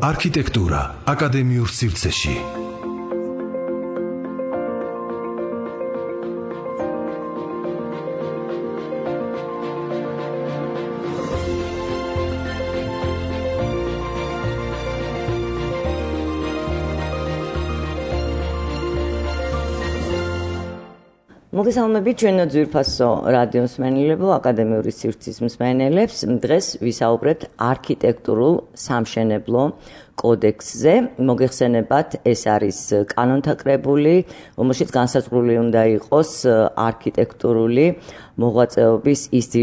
არქიტექტურა აკადემიურ სივრცეში. მოგესალმებით ჩვენო ძვირფასო რადიო მსმენელებო, აკადემიური სივრცის მსმენელებს. დღეს ვისაუბრებთ არქიტექტურულ სამშენებლო კოდექსზე. მოგეხსენებათ, ეს არის კანონთა კრებული, რომელშიც განსაზღვრული უნდა იყოს არქიტექტურული მოღვაწეობის ისეთი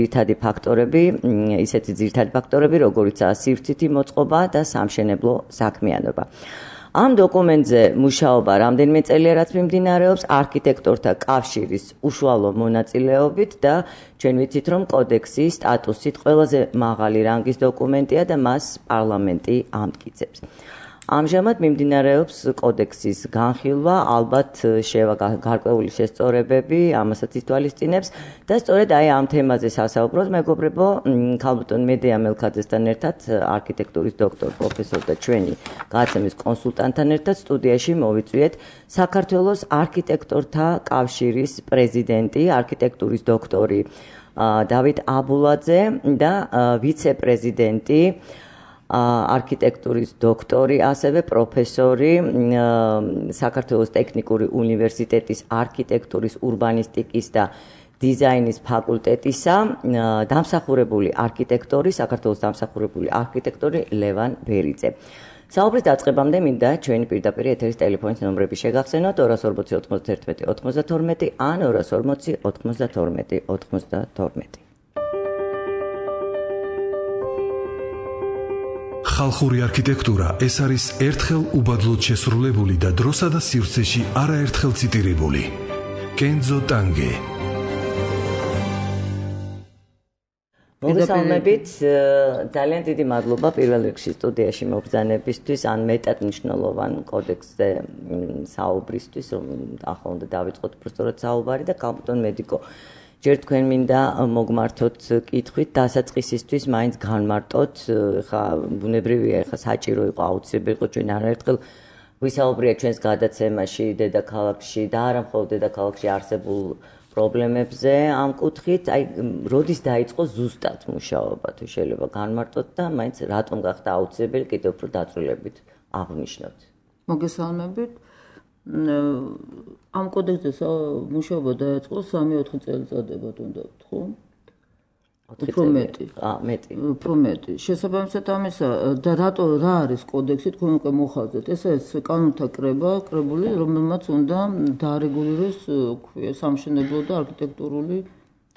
ძირითადი ფაქტორები, როგორიცაა სივრცითი მოწყობა და სამშენებლო საქმიანობა. ამ დოკუმენტზე მუშაობა რამდენიმე წელია რაც მიმდინარეობს არქიტექტორთა კავშირის უშუალო მონაწილეობით და ჩვენ ვიცით, რომ კოდექსის სტატუსით ყველაზე მაღალი რანგის დოკუმენტია და მას პარლამენტი ამტკიცებს. ამჟამად მიმდინარეობს კოდექსის განხილვა, ალბათ შევა გარკვეული შესწორებები, ამასაც ითვალისწინებს და სწორედ ამ თემაზე სასაუბროთ მეგობრებო, ქალბატონ მედეა მელქაძესთან ერთად, არქიტექტურის დოქტორ, პროფესორ და ჩვენი გადაცემის კონსულტანტთან ერთად სტუდიაში მოვიწვიეთ საქართველოს არქიტექტორთა კავშირის პრეზიდენტი, არქიტექტურის დოქტორი დავით აბულაძე და ვიცე-პრეზიდენტი, არქიტექტურის დოქტორი, ასევე პროფესორი საქართველოს ტექნიკური უნივერსიტეტის არქიტექტურის, урბანისტიკის და დიზაინის ფაკულტეტისა დამსახურებული არქიტექტორი, საქართველოს დამსახურებული არქიტექტორი ლევან ბერიძე. საუბრის დაწყებამდე მინდა ჩვენი პირდაპირ ეთერის ტელეფონის ნომრები შეგახსენოთ 240 91 92 ან 240 92 92. ხალხური არქიტექტურა ეს არის ერთხელ უბადლოდ შესრულებული და დროსა და სივრცეში არაერთხელ ციტირებული. კენძო ტანგე. მოგესალმებით, ძალიან დიდი მადლობა პირველ რიგში სტუდიაში მობრძანებისთვის, ან მეტად მნიშვნელოვან კოდექსზე საუბრისთვის, რომ ახლა უნდა დავიწყოთ უბრალოდ საუბარი და ქალბატონ მედიკო, ჯერ თქვენ მინდა მოგმართოთ კითხვით დასაწყისისთვის, მაინც განმარტოთ, ხა ბუნებრივია, ხა საჭირო იყო, აუცილებელი იყო ჩვენ არაერთხელ ვისაუბრეთ ჩვენს გადაცემაში დედაქალაქში და არა მხოლოდ დედაქალაქში არსებულ პრობლემებზე ამ კუთხით, როდის დაიწყო ზუსტად მუშაობა, თუ შეიძლება განმარტოთ და მაინც რატომ გახდა აუცილებელი კიდევ უფრო დაწვრილებით აღნიშნოთ. მოგესალმებით. ამ კოდექსზე მუშაობა დაიწყო 3-4 წელიწადებად უნდა ვთქვა. უფრო მეტი. შესაბამისად ამისა და რა არის კოდექსი, თქვენ უკვე მოხალხეთ. ეს არის კანონთა კრებული, რომელმაც უნდა დაარეგულიროს სამშენებლო და არქიტექტურული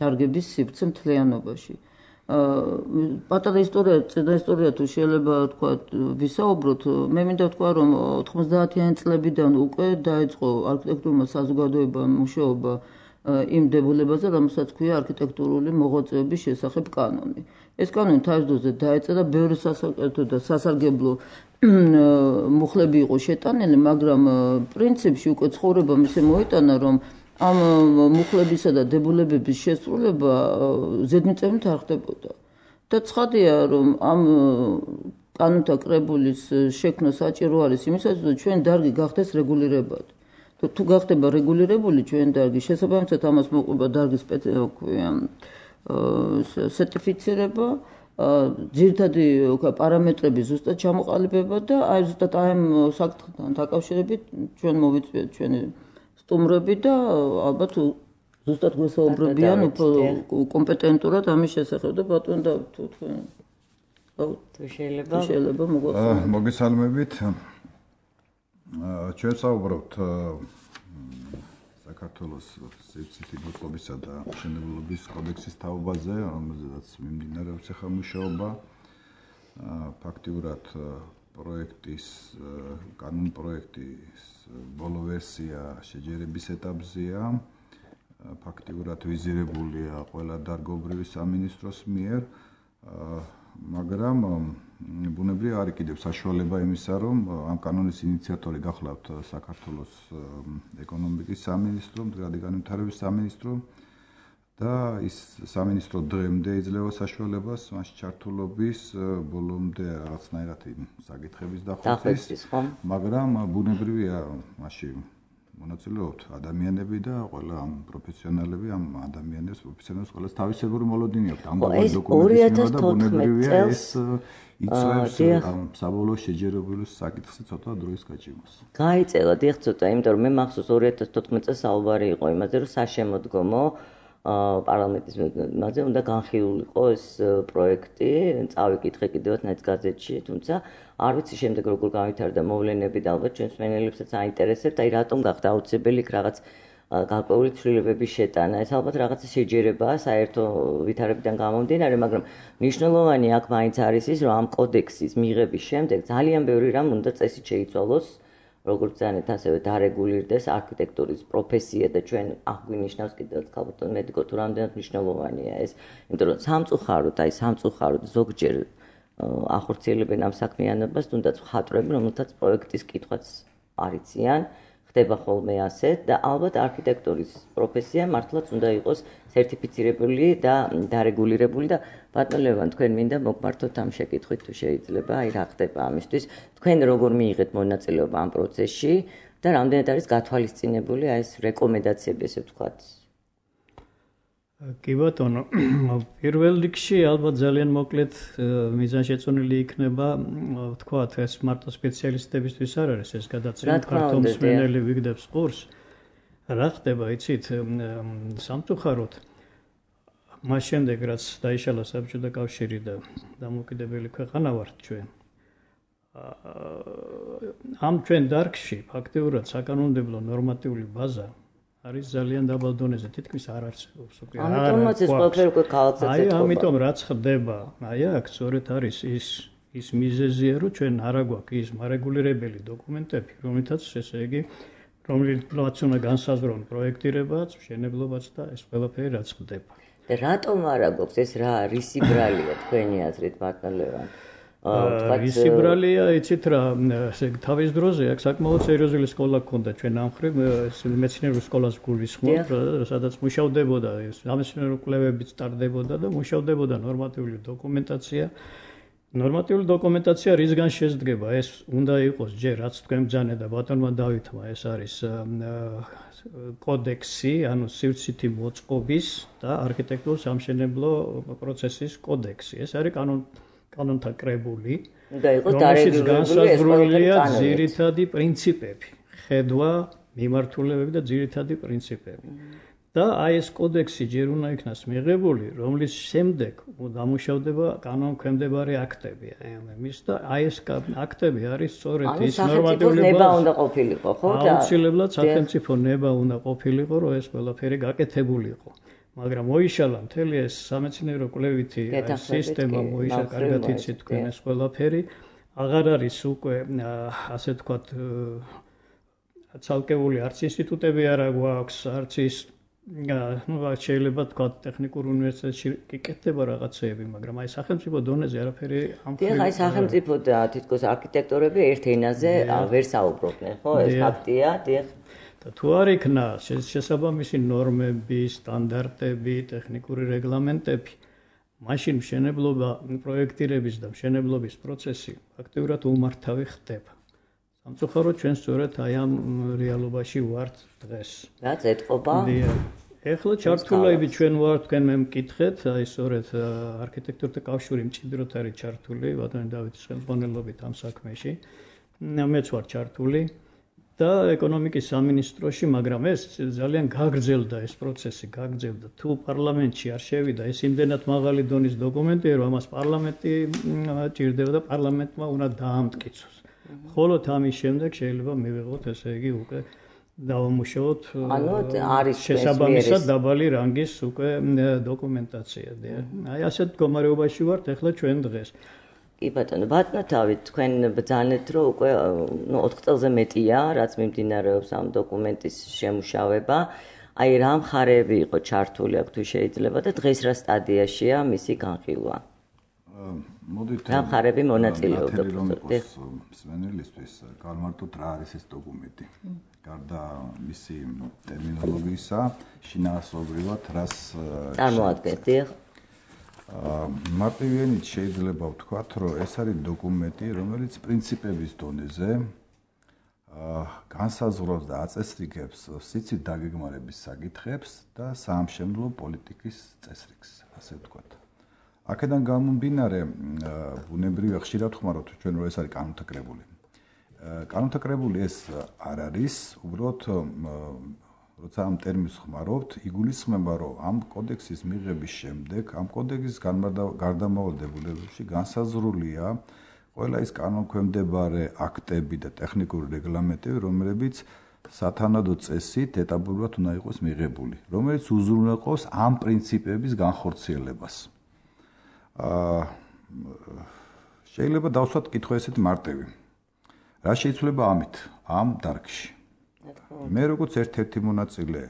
დარგების სივრცე მთლიანობაში. პატარა ისტორია თუ შეიძლება თქვა ვისაუბროთ, მე მინდა ვთქვა, რომ 90-იანი წლებიდან უკვე დაიწყო არქიტექტურული საზოგადოება მუშაობა იმ დებულებაზე, რომელსაც ქვია არქიტექტურული მოღვაწეობის შესახებ კანონი. ეს კანონი თავის დროზე დაეწერა, ბევრი სასაკეთო და სასარგებლო მუხლები იყო შეტანილი, მაგრამ პრინციპში უკვე ცხოვრებამ ისე მოიტანა, რომ ამ მუხლებისა და დებულებების შესრულება ზედმიწევნით არ ხდებოდა. და ცხადია, რომ ამ კანონთა კრებულის შექმნა საჭირო არის იმისათვის, რომ ჩვენ დარგი გახდეს რეგულირებადი. თუ გახდება რეგულირებული ჩვენ დარგი, შესაბამისად ამას მოყვება დარგის სერტიფიცირება, ძირითადი პარამეტრები ზუსტად ჩამოყალიბება და ზუსტად ამ საკითხთან დაკავშირებით ჩვენ მოვიწვიეთ ჩვენი სტუმრები და ალბათ ზუსტად გვესაუბრებიან უფრო კომპეტენტურად ამის შესახებ და ბატონ დავით თუ თქვენ თუ შეიძლება მოგესალმებით. ჩვენ საუბრობთ საქართველოს სივრცითი მოწყობისა და მშენებლობის კოდექსის თაობაზე, რომელზედაც მიმდინარეობს ახლა მუშაობა. ფაქტიურად კანონ პროექტის ბოლო ვერსია შეჯერების ეტაპზეა. ფაქტიურად ვიზირებულია ყველა დარგობრივი სამინისტროს მიერ, მაგრამ ბუნებრივია არის კიდევ საშუალება იმისა, რომ ამ კანონის ინიციატორი გახლავთ საქართველოს ეკონომიკის სამინისტრო, მდგრადი განვითარების სამინისტრო და ის სამინისტრო დღემდე იძლევა საშუალებას მას ჩართულობის ბოლომდე რაღაცნაირად იმ საკითხების დახოცვის, ხო? მაგრამ ბუნებრივია მასში მონაწილეობთ ადამიანები და ყველა ამ პროფესიონალები ამ ადამიანებს პროფესიონალებს ყველას თავისებური მოლოდინი აქვს ამგვარი დოკუმენტის და ბუნებრივია ეს იწვევს ამ საბოლოო შეჯერებულის საკითხზე ცოტა დროის გაჭიმას. გაიწელა დიახ ცოტა, იმიტომ რომ მე მახსოვს 2014 წელს საუბარი იყო იმაზე, რომ საშემოდგომო პარლამენტის მასზე უნდა განხილულიყო ეს პროექტი, წავიკითხე კიდევაც ნაც გაზეთში, თუმცა არ ვიცი შემდეგ როგორ გავითარდა მოვლენები და ალბათ ჩვენს მსმენელებსაც აინტერესებთ, აი რატომ გახდა აუცილებელი იქ რაღაც გარკვეული ცვლილებების შეტანა. ეს ალბათ რაღაცა შეჯერებაა საერთო ვითარებიდან გამომდინარე, მაგრამ მნიშვნელოვანი აქ მაინც არის ის, რომ ამ კოდექსის მიღების შემდეგ ძალიან ბევრი რამ უნდა წესით შეიცვალოს, როგორც ძანეთ ასევე დარეგულირდეს არქიტექტურის პროფესია და ჩვენ აღვნიშნავს კიდევაც ქალბატონ მედიკო თუ რამდენად მნიშვნელოვანია ეს, იმიტომ რომ სამწუხაროდ ზოგჯერ ახორციელებენ ამ საქმიანობას, თუნდაც მხატვრები, რომელთაც პროექტის კითხვაც არ იციან, ხდება ხოლმე ასეთ და ალბათ არქიტექტურის პროფესია მართლაც უნდა იყოს სერტიფიცირებული და დარეგულირებული და ბატონ ლევან, თქვენ მინდა მოგმართოთ ამ შეკითხვით თუ შეიძლება, აი რა ხდება ამისთვის, თქვენ როგორ მიიღეთ მონაწილეობა ამ პროცესში და რამდენად არის გათვალისწინებული აი ეს რეკომენდაციები, ესე ვთქვათ. კი ბატონო, პირველ რიგში ალბათ ძალიან მოკლედ მიზანშეწონილი იქნება ვთქვათ, ეს მარტო სპეციალისტებისთვის არ არის ეს გადაცემა, ქართულ მსმენელი ვიგდებს ყურს. რა ხდება, იცით, სამწუხაროდ მას შემდეგ რაც დაიშალა საბჭოთა კავშირი და დამოუკიდებელი ქვეყანა ვართ ჩვენ. ამ ჩვენ დარგში ფაქტიურად საკანონმდებლო ნორმატიული ბაზა არის ძალიან დაბალ დონეზე, თითქმის არ არსებობს უკვე. ამიტომაც ეს ყველაფერი უკვე ქალაქსაც ეთყობა. ამიტომ რაც ხდება, აქ სწორედ არის ის მიზეზია, რომ ჩვენ არ აგვაქვს ის მარეგულირებელი დოკუმენტები, რომლითაც ესე იგი რომლითაც უნდა განსაზღვრონ პროექტირებაც, მშენებლობაც და ეს ყველაფერი რაც ხდება. და რატომ არ აგვაქვს ეს რისი ბრალია თქვენი აზრით, ბატონ ლევან? რისი ბრალია, იცით რა, თავის დროზე აქ საკმაოდ სერიოზული სკოლა გქონდა ჩვენ ამ მხრივ, მეცნიერულ სკოლას გულისხმობ, სადაც მუშავდებოდა სამეცნიერო კვლევებიც ტარდებოდა და მუშავდებოდა ნორმატიული დოკუმენტაცია. ნორმატიული დოკუმენტაცია რისგან შედგება? ეს უნდა იყოს ჯერ რაც თქვენ ბრძანეთ და ბატონმა დავითმა, ეს არის კოდექსი, ანუ სივრცითი მოწყობის და არქიტექტურულ-სამშენებლო პროცესის კოდექსი. ეს არის კანონთა კრებული, რომელშიც განსაზღვრულია ძირითადი პრინციპები, ხედვა, მიმართულებები და ძირითადი პრინციპები. და აი ეს კოდექსი ჯერ უნდა იქნას მიღებული, რომლის შემდეგ დამუშავდება კანონქვემდებარე აქტები. და აი ეს აქტები არის სწორედ ის ნორმატიული ნება უნდა ყოფილიყო, ხო? აუცილებლად სახელმწიფო ნება უნდა ყოფილიყო, რომ ეს ყველაფერი გაკეთებულიყო. მაგრამ მოიშალა მთელი ეს სამეცნიერო კვლევითი სისტემა მოიშალა, კარგად იცით თქვენ ეს ყველაფერი, აღარ არის უკვე ასე ვთქვათ ცალკეული არც ინსტიტუტები არ გვაქვს, არც ის შეიძლება ვთქვათ ტექნიკურ უნივერსიტეტში კეთდება რაღაცეები, მაგრამ აი სახელმწიფო დონეზე არაფერი ამ ხრივ. აი სახელმწიფო და თითქოს არქიტექტორები ერთ ენაზე ვერ საუბრობენ, ხო? ეს ფაქტია, დიახ. და თუ არ იქნა შესაბამისი ნორმები, სტანდარტები, ტექნიკური რეგლამენტები, მაშინ მშენებლობა, პროექტირების და მშენებლობის პროცესი ფაქტიურად უმართავი ხდება. სამწუხაროდ ჩვენ სწორედ აი ამ რეალობაში ვართ დღეს. რაც ეთყობა? ეხლა ჩართულები ჩვენ ვართ, თქვენ მე მკითხეთ, აი სწორედ არქიტექტურთა კავშირი მჭიდროდ არის ჩართული, ბატონ დავითის ხელმძღვანელობით ამ საქმეში. მეც ვარ ჩართული. და ეკონომიკის სამინისტროში, მაგრამ ეს ძალიან გაგრძელდა ეს პროცესი, გაგრძელდა. თუ პარლამენტში არ შევიდა ეს იმდენად მაღალი დონის დოკუმენტია, რომ ამას პარლამენტი ჭირდება და პარლამენტმა უნდა დაამტკიცოს. მხოლოდ ამის შემდეგ შეიძლება მივიღოთ, ესე იგი, უკვე დავამუშავოთ შესაბამისად დაბალი რანგის უკვე დოკუმენტაცია. აი ასეთ მდგომარეობაში ვართ ეხლა ჩვენ დღეს. კი ბატონო, ბატონო, თქვენ ბრძანეთ, რომ უკვე 4 წელზე მეტია, რაც მიმდინარეობს ამ დოკუმენტის შემუშავება. აი რა მხარეები იყო ჩართული აქ თუ შეიძლება და დღეს რა სტადიაშია მისი განხილვა? მოდით რა მხარები მონაწილეობდა მსმენელისთვის გავმარტოთ რა არის ეს დოკუმენტი. გარდა მისი ტერმინოლოგიისა, შინაარსობრივად რას წარმოადგენს, დიახ. მარტივენით შეიძლება ვთქვათ, რომ ეს არის დოკუმენტი, რომელიც პრინციპების დონეზე განსაზღვრავს და აწესრიგებს სიცით დაგეგმარების საკითხებს და საამშენებლო პოლიტიკის წესრიგს, ასე ვთქვათ. აქედან გამომდინარე, ბუნებრივია ხშირად ხმარობთ ჩვენ რომ ეს არის კანონთა კრებული. კანონთა კრებული ეს არ არის, უბრალოდ როცა ამ ტერმინს ხმარობთ, იგულისხმება, რომ ამ კოდექსის მიღების შემდეგ, ამ კოდექსის გარდამავალ დებულებებში განსაზღვრულია ყველა ის კანონქვემდებარე აქტები და ტექნიკური რეგლამენტები, რომლებიც სათანადო წესით ეტაპობრივად უნდა იყოს მიღებული, რომელიც უზრუნველყოფს ამ პრინციპების განხორციელებას. შეიძლება დავსვათ კითხვა ესეთი მარტივი. რა შეიცვლება ამით, ამ დარგში? მე როგორც ერთ-ერთი მონაწილე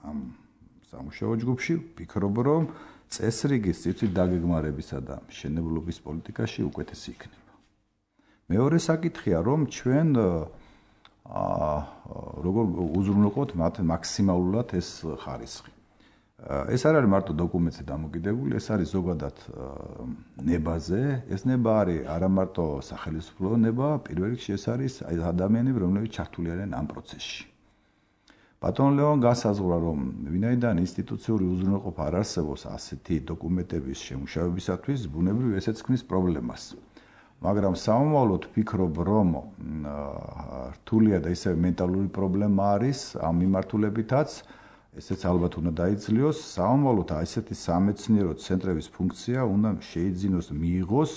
ამ სამუშაო ჯგუფში ვფიქრობ, რომ წესრიგის სიცით დაგეგმარებისა და მშენებლობის პოლიტიკაში უკეთესი იქნება. მეორე საკითხია, რომ ჩვენ როგორ უზრუნველყოფთ მაქსიმალურად ეს ხარისხი. ეს არ არის მარტო დოკუმენტზე დამოკიდებული, ეს არის ზოგადად ნებაზე. ეს ნება არის არა მარტო სახელმწიფო ნება, პირველ რიგში ეს არის ადამიანები, რომლებიც ჩართული არიან ამ პროცესში. ბატონ ლეონ განსაზღვრა, რომ ვინაიდან ინსტიტუციური უზრუნველყოფა არ არსებობს ასეთი დოკუმენტების შემუშავებისათვის, ბუნებრივია ესეც ქმნის პრობლემას. მაგრამ სამომავლოდ ვფიქრობ, რომ რთულია და ისევ მენტალური პრობლემა არის ამ მიმართულებითაც, ესეც ალბათ უნდა დაიძლიოს. სამომავლოდ ესეთი სამეცნიერო ცენტრების ფუნქცია უნდა შეიძინოს მიიღოს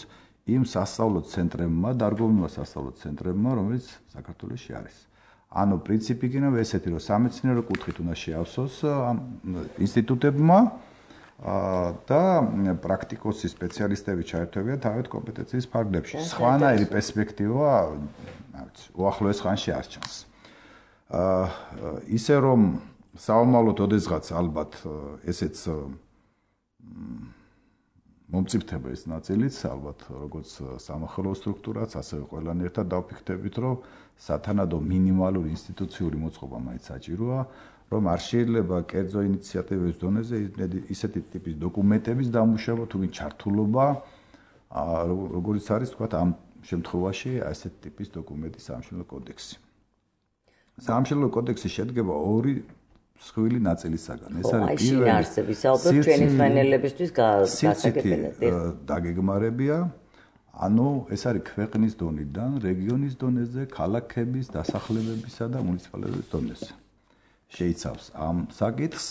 იმ სასწავლო ცენტრებმა, დარგობრივმა სასწავლო ცენტრებმა, რომელიც საქართველოში არის. ანუ პრინციპი იქნება ესეთი, რომ სამეცნიერო კუთხით უნდა შეავსოს ამ ინსტიტუტებმა და პრაქტიკოსი სპეციალისტები ჩაერთვებიან თავად კომპეტენციის ფარგლებში. სხვანაირი პერსპექტივა, რა ვიცი, უახლოეს ხანში არ ჩანს. ისე რომ საომალოდ ოდესღაც ალბათ ესეც მომწიფდება ეს ნაწილიც, ალბათ როგორც სამახსოვრო სტრუქტურაც, ასევე ყველანი ერთად დავფიქრდებით, რომ სათანადო მინიმალური ინსტიტუციური მოწყობა მაინც საჭიროა, რომ არ შეიძლება კერძო ინიციატივების დონეზე ისეთი ტიპის დოკუმენტების დამუშავება თუ ჩართულობა, როგორც არის თქვა ამ შემთხვევაში ასეთ ტიპის დოკუმენტის საამშენებლო კოდექსი. საამშენებლო კოდექსი შედგება ორი სხვილი ნაწილისაგან. ეს არის პირველი არსების ალბათ ჩვენი მსმენელებისთვის გასაგებია. დაგეგმარებია, ანუ ეს არის ქვეყნის დონიდან, რეგიონის დონეზე, ქალაქების, დასახლებებისა და მუნიციპალიტეტების დონეზე. შეიცავს ამ საკითხს,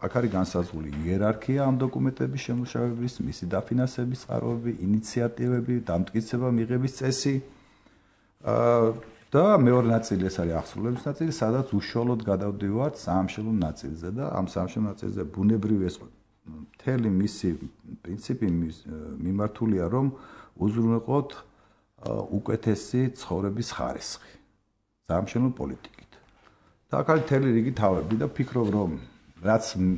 აქ არის განსაზღვრული იერარქია ამ დოკუმენტების შემუშავების, მისი დაფინანსების წყაროები, ინიციატივები, დამტკიცება მიღების წესი. და მეორე ნაწილი ეს არის აღსრულების ნაწილი, სადაც უშუალოდ გადავდივართ საამშენებლო ნაწილზე და ამ საამშენებლო ნაწილზე ბუნებრივი ეს მთელი მისი პრინციპი მიმართულია, რომ უზრუნველყოთ უკეთესი ცხოვრების ხარისხი საამშენებლო პოლიტიკით. და აქ არის მთელი რიგი თავები და ვფიქრობ, რომ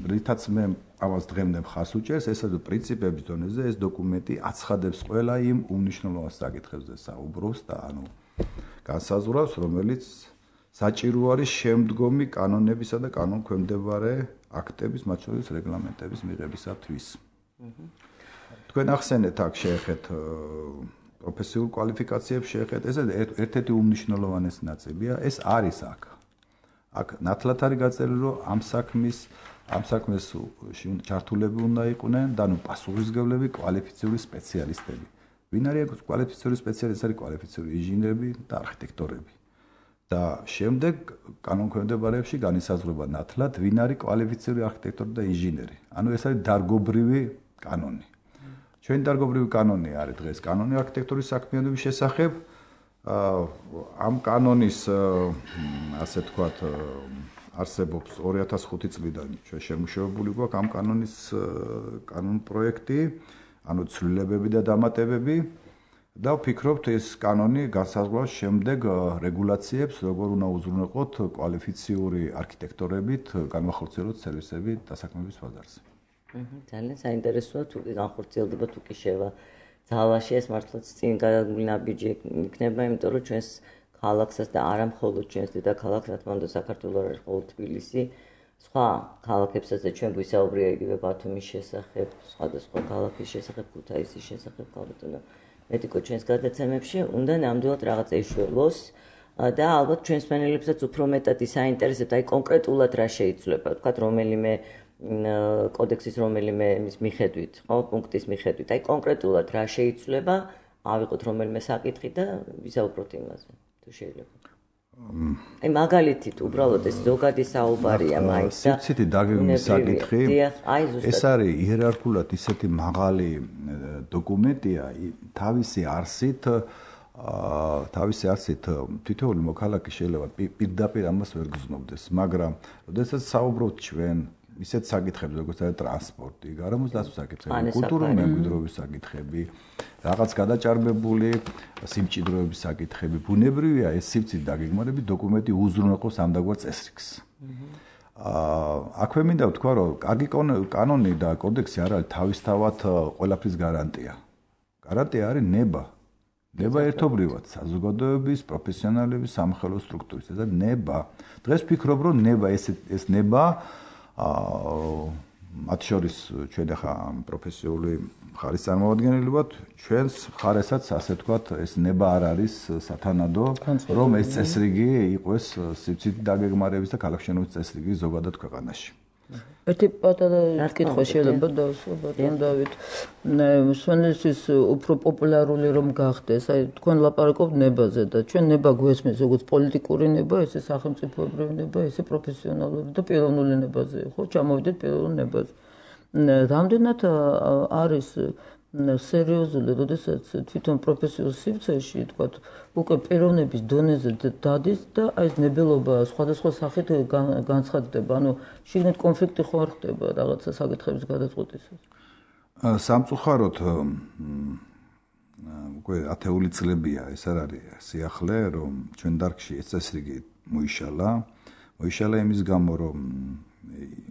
რითაც მე ამას დღემდე მხარს უჭერს, ეს არის პრინციპების დონეზე ეს დოკუმენტი აცხადებს ყველა იმ უმნიშვნელოვანეს საკითხებზე საუბრობს და ანუ განსაზღვრავს, რომელიც საჭირო არის შემდგომი კანონებისა და კანონქვემდებარე აქტების, მათ შორის რეგლამენტების მიღებისათვის. თქვენ ახსენეთ აქ შეეხეთ პროფესიულ კვალიფიკაციებს შეეხეთ, ეს ერთ-ერთი უმნიშვნელოვანესი ნაწილია, ეს არის აქ. აქ ნათლად არის გაწერილი, რომ ამ საქმეს ჩართულები უნდა იყვნენ და ნუ პასუხისმგებლები კვალიფიციური სპეციალისტები. ვინ არის კვალიფიციური სპეციალისტი? არის კვალიფიციური ინჟინრები და არქიტექტორები. და შემდეგ კანონქვემდებარებში განისაზღვრება ნათლად, ვინ არის კვალიფიციური არქიტექტორი და ინჟინერი. ანუ ეს არის დარგობრივი კანონი. ჩვენი დარგობრივი კანონი არის დღეს კანონი არქიტექტურის საქმიანობის შესახებ. ამ კანონის ასე თქვათ არსებობს 2005 წლიდან ჩვენ შემუშავებული გვაქვს ამ კანონის კანონ პროექტი. ანუ ცვლილებები და დამატებები და ვფიქრობთ ეს კანონი განსაზღვრავს შემდეგ რეგულაციებს, როგორ უნდა უზრუნველყოთ კვალიფიციური არქიტექტორებით განმახორციელოთ სერვისები დასაქმების ბაზარზე. ძალიან საინტერესოა თუ განხორციელდება თუ კი შევა ძალაში ეს მართლაც წინ გადაგული ნაბიჯი იქნება, იმიტომ რომ ჩვენს ქალაქსაც და არა მხოლოდ ჩვენს დედაქალაქს, რა თქმა უნდა, საქართველოს არის მხოლოდ თბილისი, სხვა ქალაქებსაც და ჩვენ ვისაუბრია იგივე ბათუმის შესახებ, სხვადასხვა ქალაქის შესახებ, ქუთაისის შესახებ, ქალბატონო მედიკო ჩვენს გადაცემებში უნდა ნამდვილად რაღაცა იშველოს და ალბათ ჩვენს მენელებსაც უფრო მეტად ისაინტერესებთ, აი კონკრეტულად რა შეიცვლება, თქვათ რომელიმე კოდექსის რომელიმე იმის მიხედვით, ხო, პუნქტის მიხედვით, აი კონკრეტულად რა შეიცვლება, ავიღოთ რომელიმე საკითხი და ვისაუბროთ იმაზე, თუ შეიძლება. აი მაგალითით, უბრალოდ ეს ზოგადი საუბარია მაინც და სიცითი დაგეგმვის საკითხი. ეს არის იერარქიულად ისეთი მაღალი დოკუმენტია, თავისი არსით თითოეული მოქალაქე შეიძლება პირდაპირ ამას ვერ გრძნობდეს, მაგრამ როდესაც საუბრობთ ჩვენ ისეთ საკითხებზე, როგორც არის ტრანსპორტი, გარემოს დაცვის საკითხები, კულტურული მემკვიდრეობის საკითხები, რაღაც გადაჭარბებული სიმჭიდროების საკითხები, ბუნებრივია ეს სივრცით დაგეგმარების დოკუმენტი უზრუნველყოფს ამდაგარ წესრიგს. აქვე მინდა ვთქვა, რომ კარგი კანონი და კოდექსი არ არის თავისთავად ყველაფრის გარანტია. გარანტია არის ნება. ნება ერთობრივად საზოგადოების, პროფესიონალების, სამხელო სტრუქტურის. ეს არის ნება. დღეს ვფიქრობ, რომ ნება ეს ნება მათ შორის ჩვენ ახლა პროფესიული მხარის წარმომადგენელი ვართ, ჩვენს მხარესაც ასე ვთქვათ, ეს ნება არ არის სათანადო, რომ ეს წესრიგი იყოს სივრცით დაგეგმარების და ქალაქშენობის წესრიგი ზოგადად ქვეყანაში. ერთი პატარა კითხვა შეიძლება დავსვა ბატონ დავით. სვენელსის უფრო პოპულარული რომ გახდეს, აი თქვენ ლაპარაკობთ ნებაზე და ჩვენ ნება გვესმის როგორც პოლიტიკური ნება, ესე სახელმწიფოებრივი ნება, ესე პროფესიონალური და პიროვნული ნებაზე, ხო, ჩამოვიდეთ პიროვნულ ნებაზე. რამდენად არის სერიოზული, როდესაც თვითონ პროფესიულ სივრცეში, თქვათ, უკვე პიროვნების დონეზე დადის და აი ეს ნებელობა სხვადასხვა სახით განცხადდება, ანუ შიგნით კონფლიქტი ხო არ ხდება რაღაცა საკითხების გადაწყვეტისას. სამწუხაროდ უკვე 10 წლებია ეს არ არის სიახლე, რომ ჩვენ დარგში ეს წესრიგი მოიშალა იმის გამო, რომ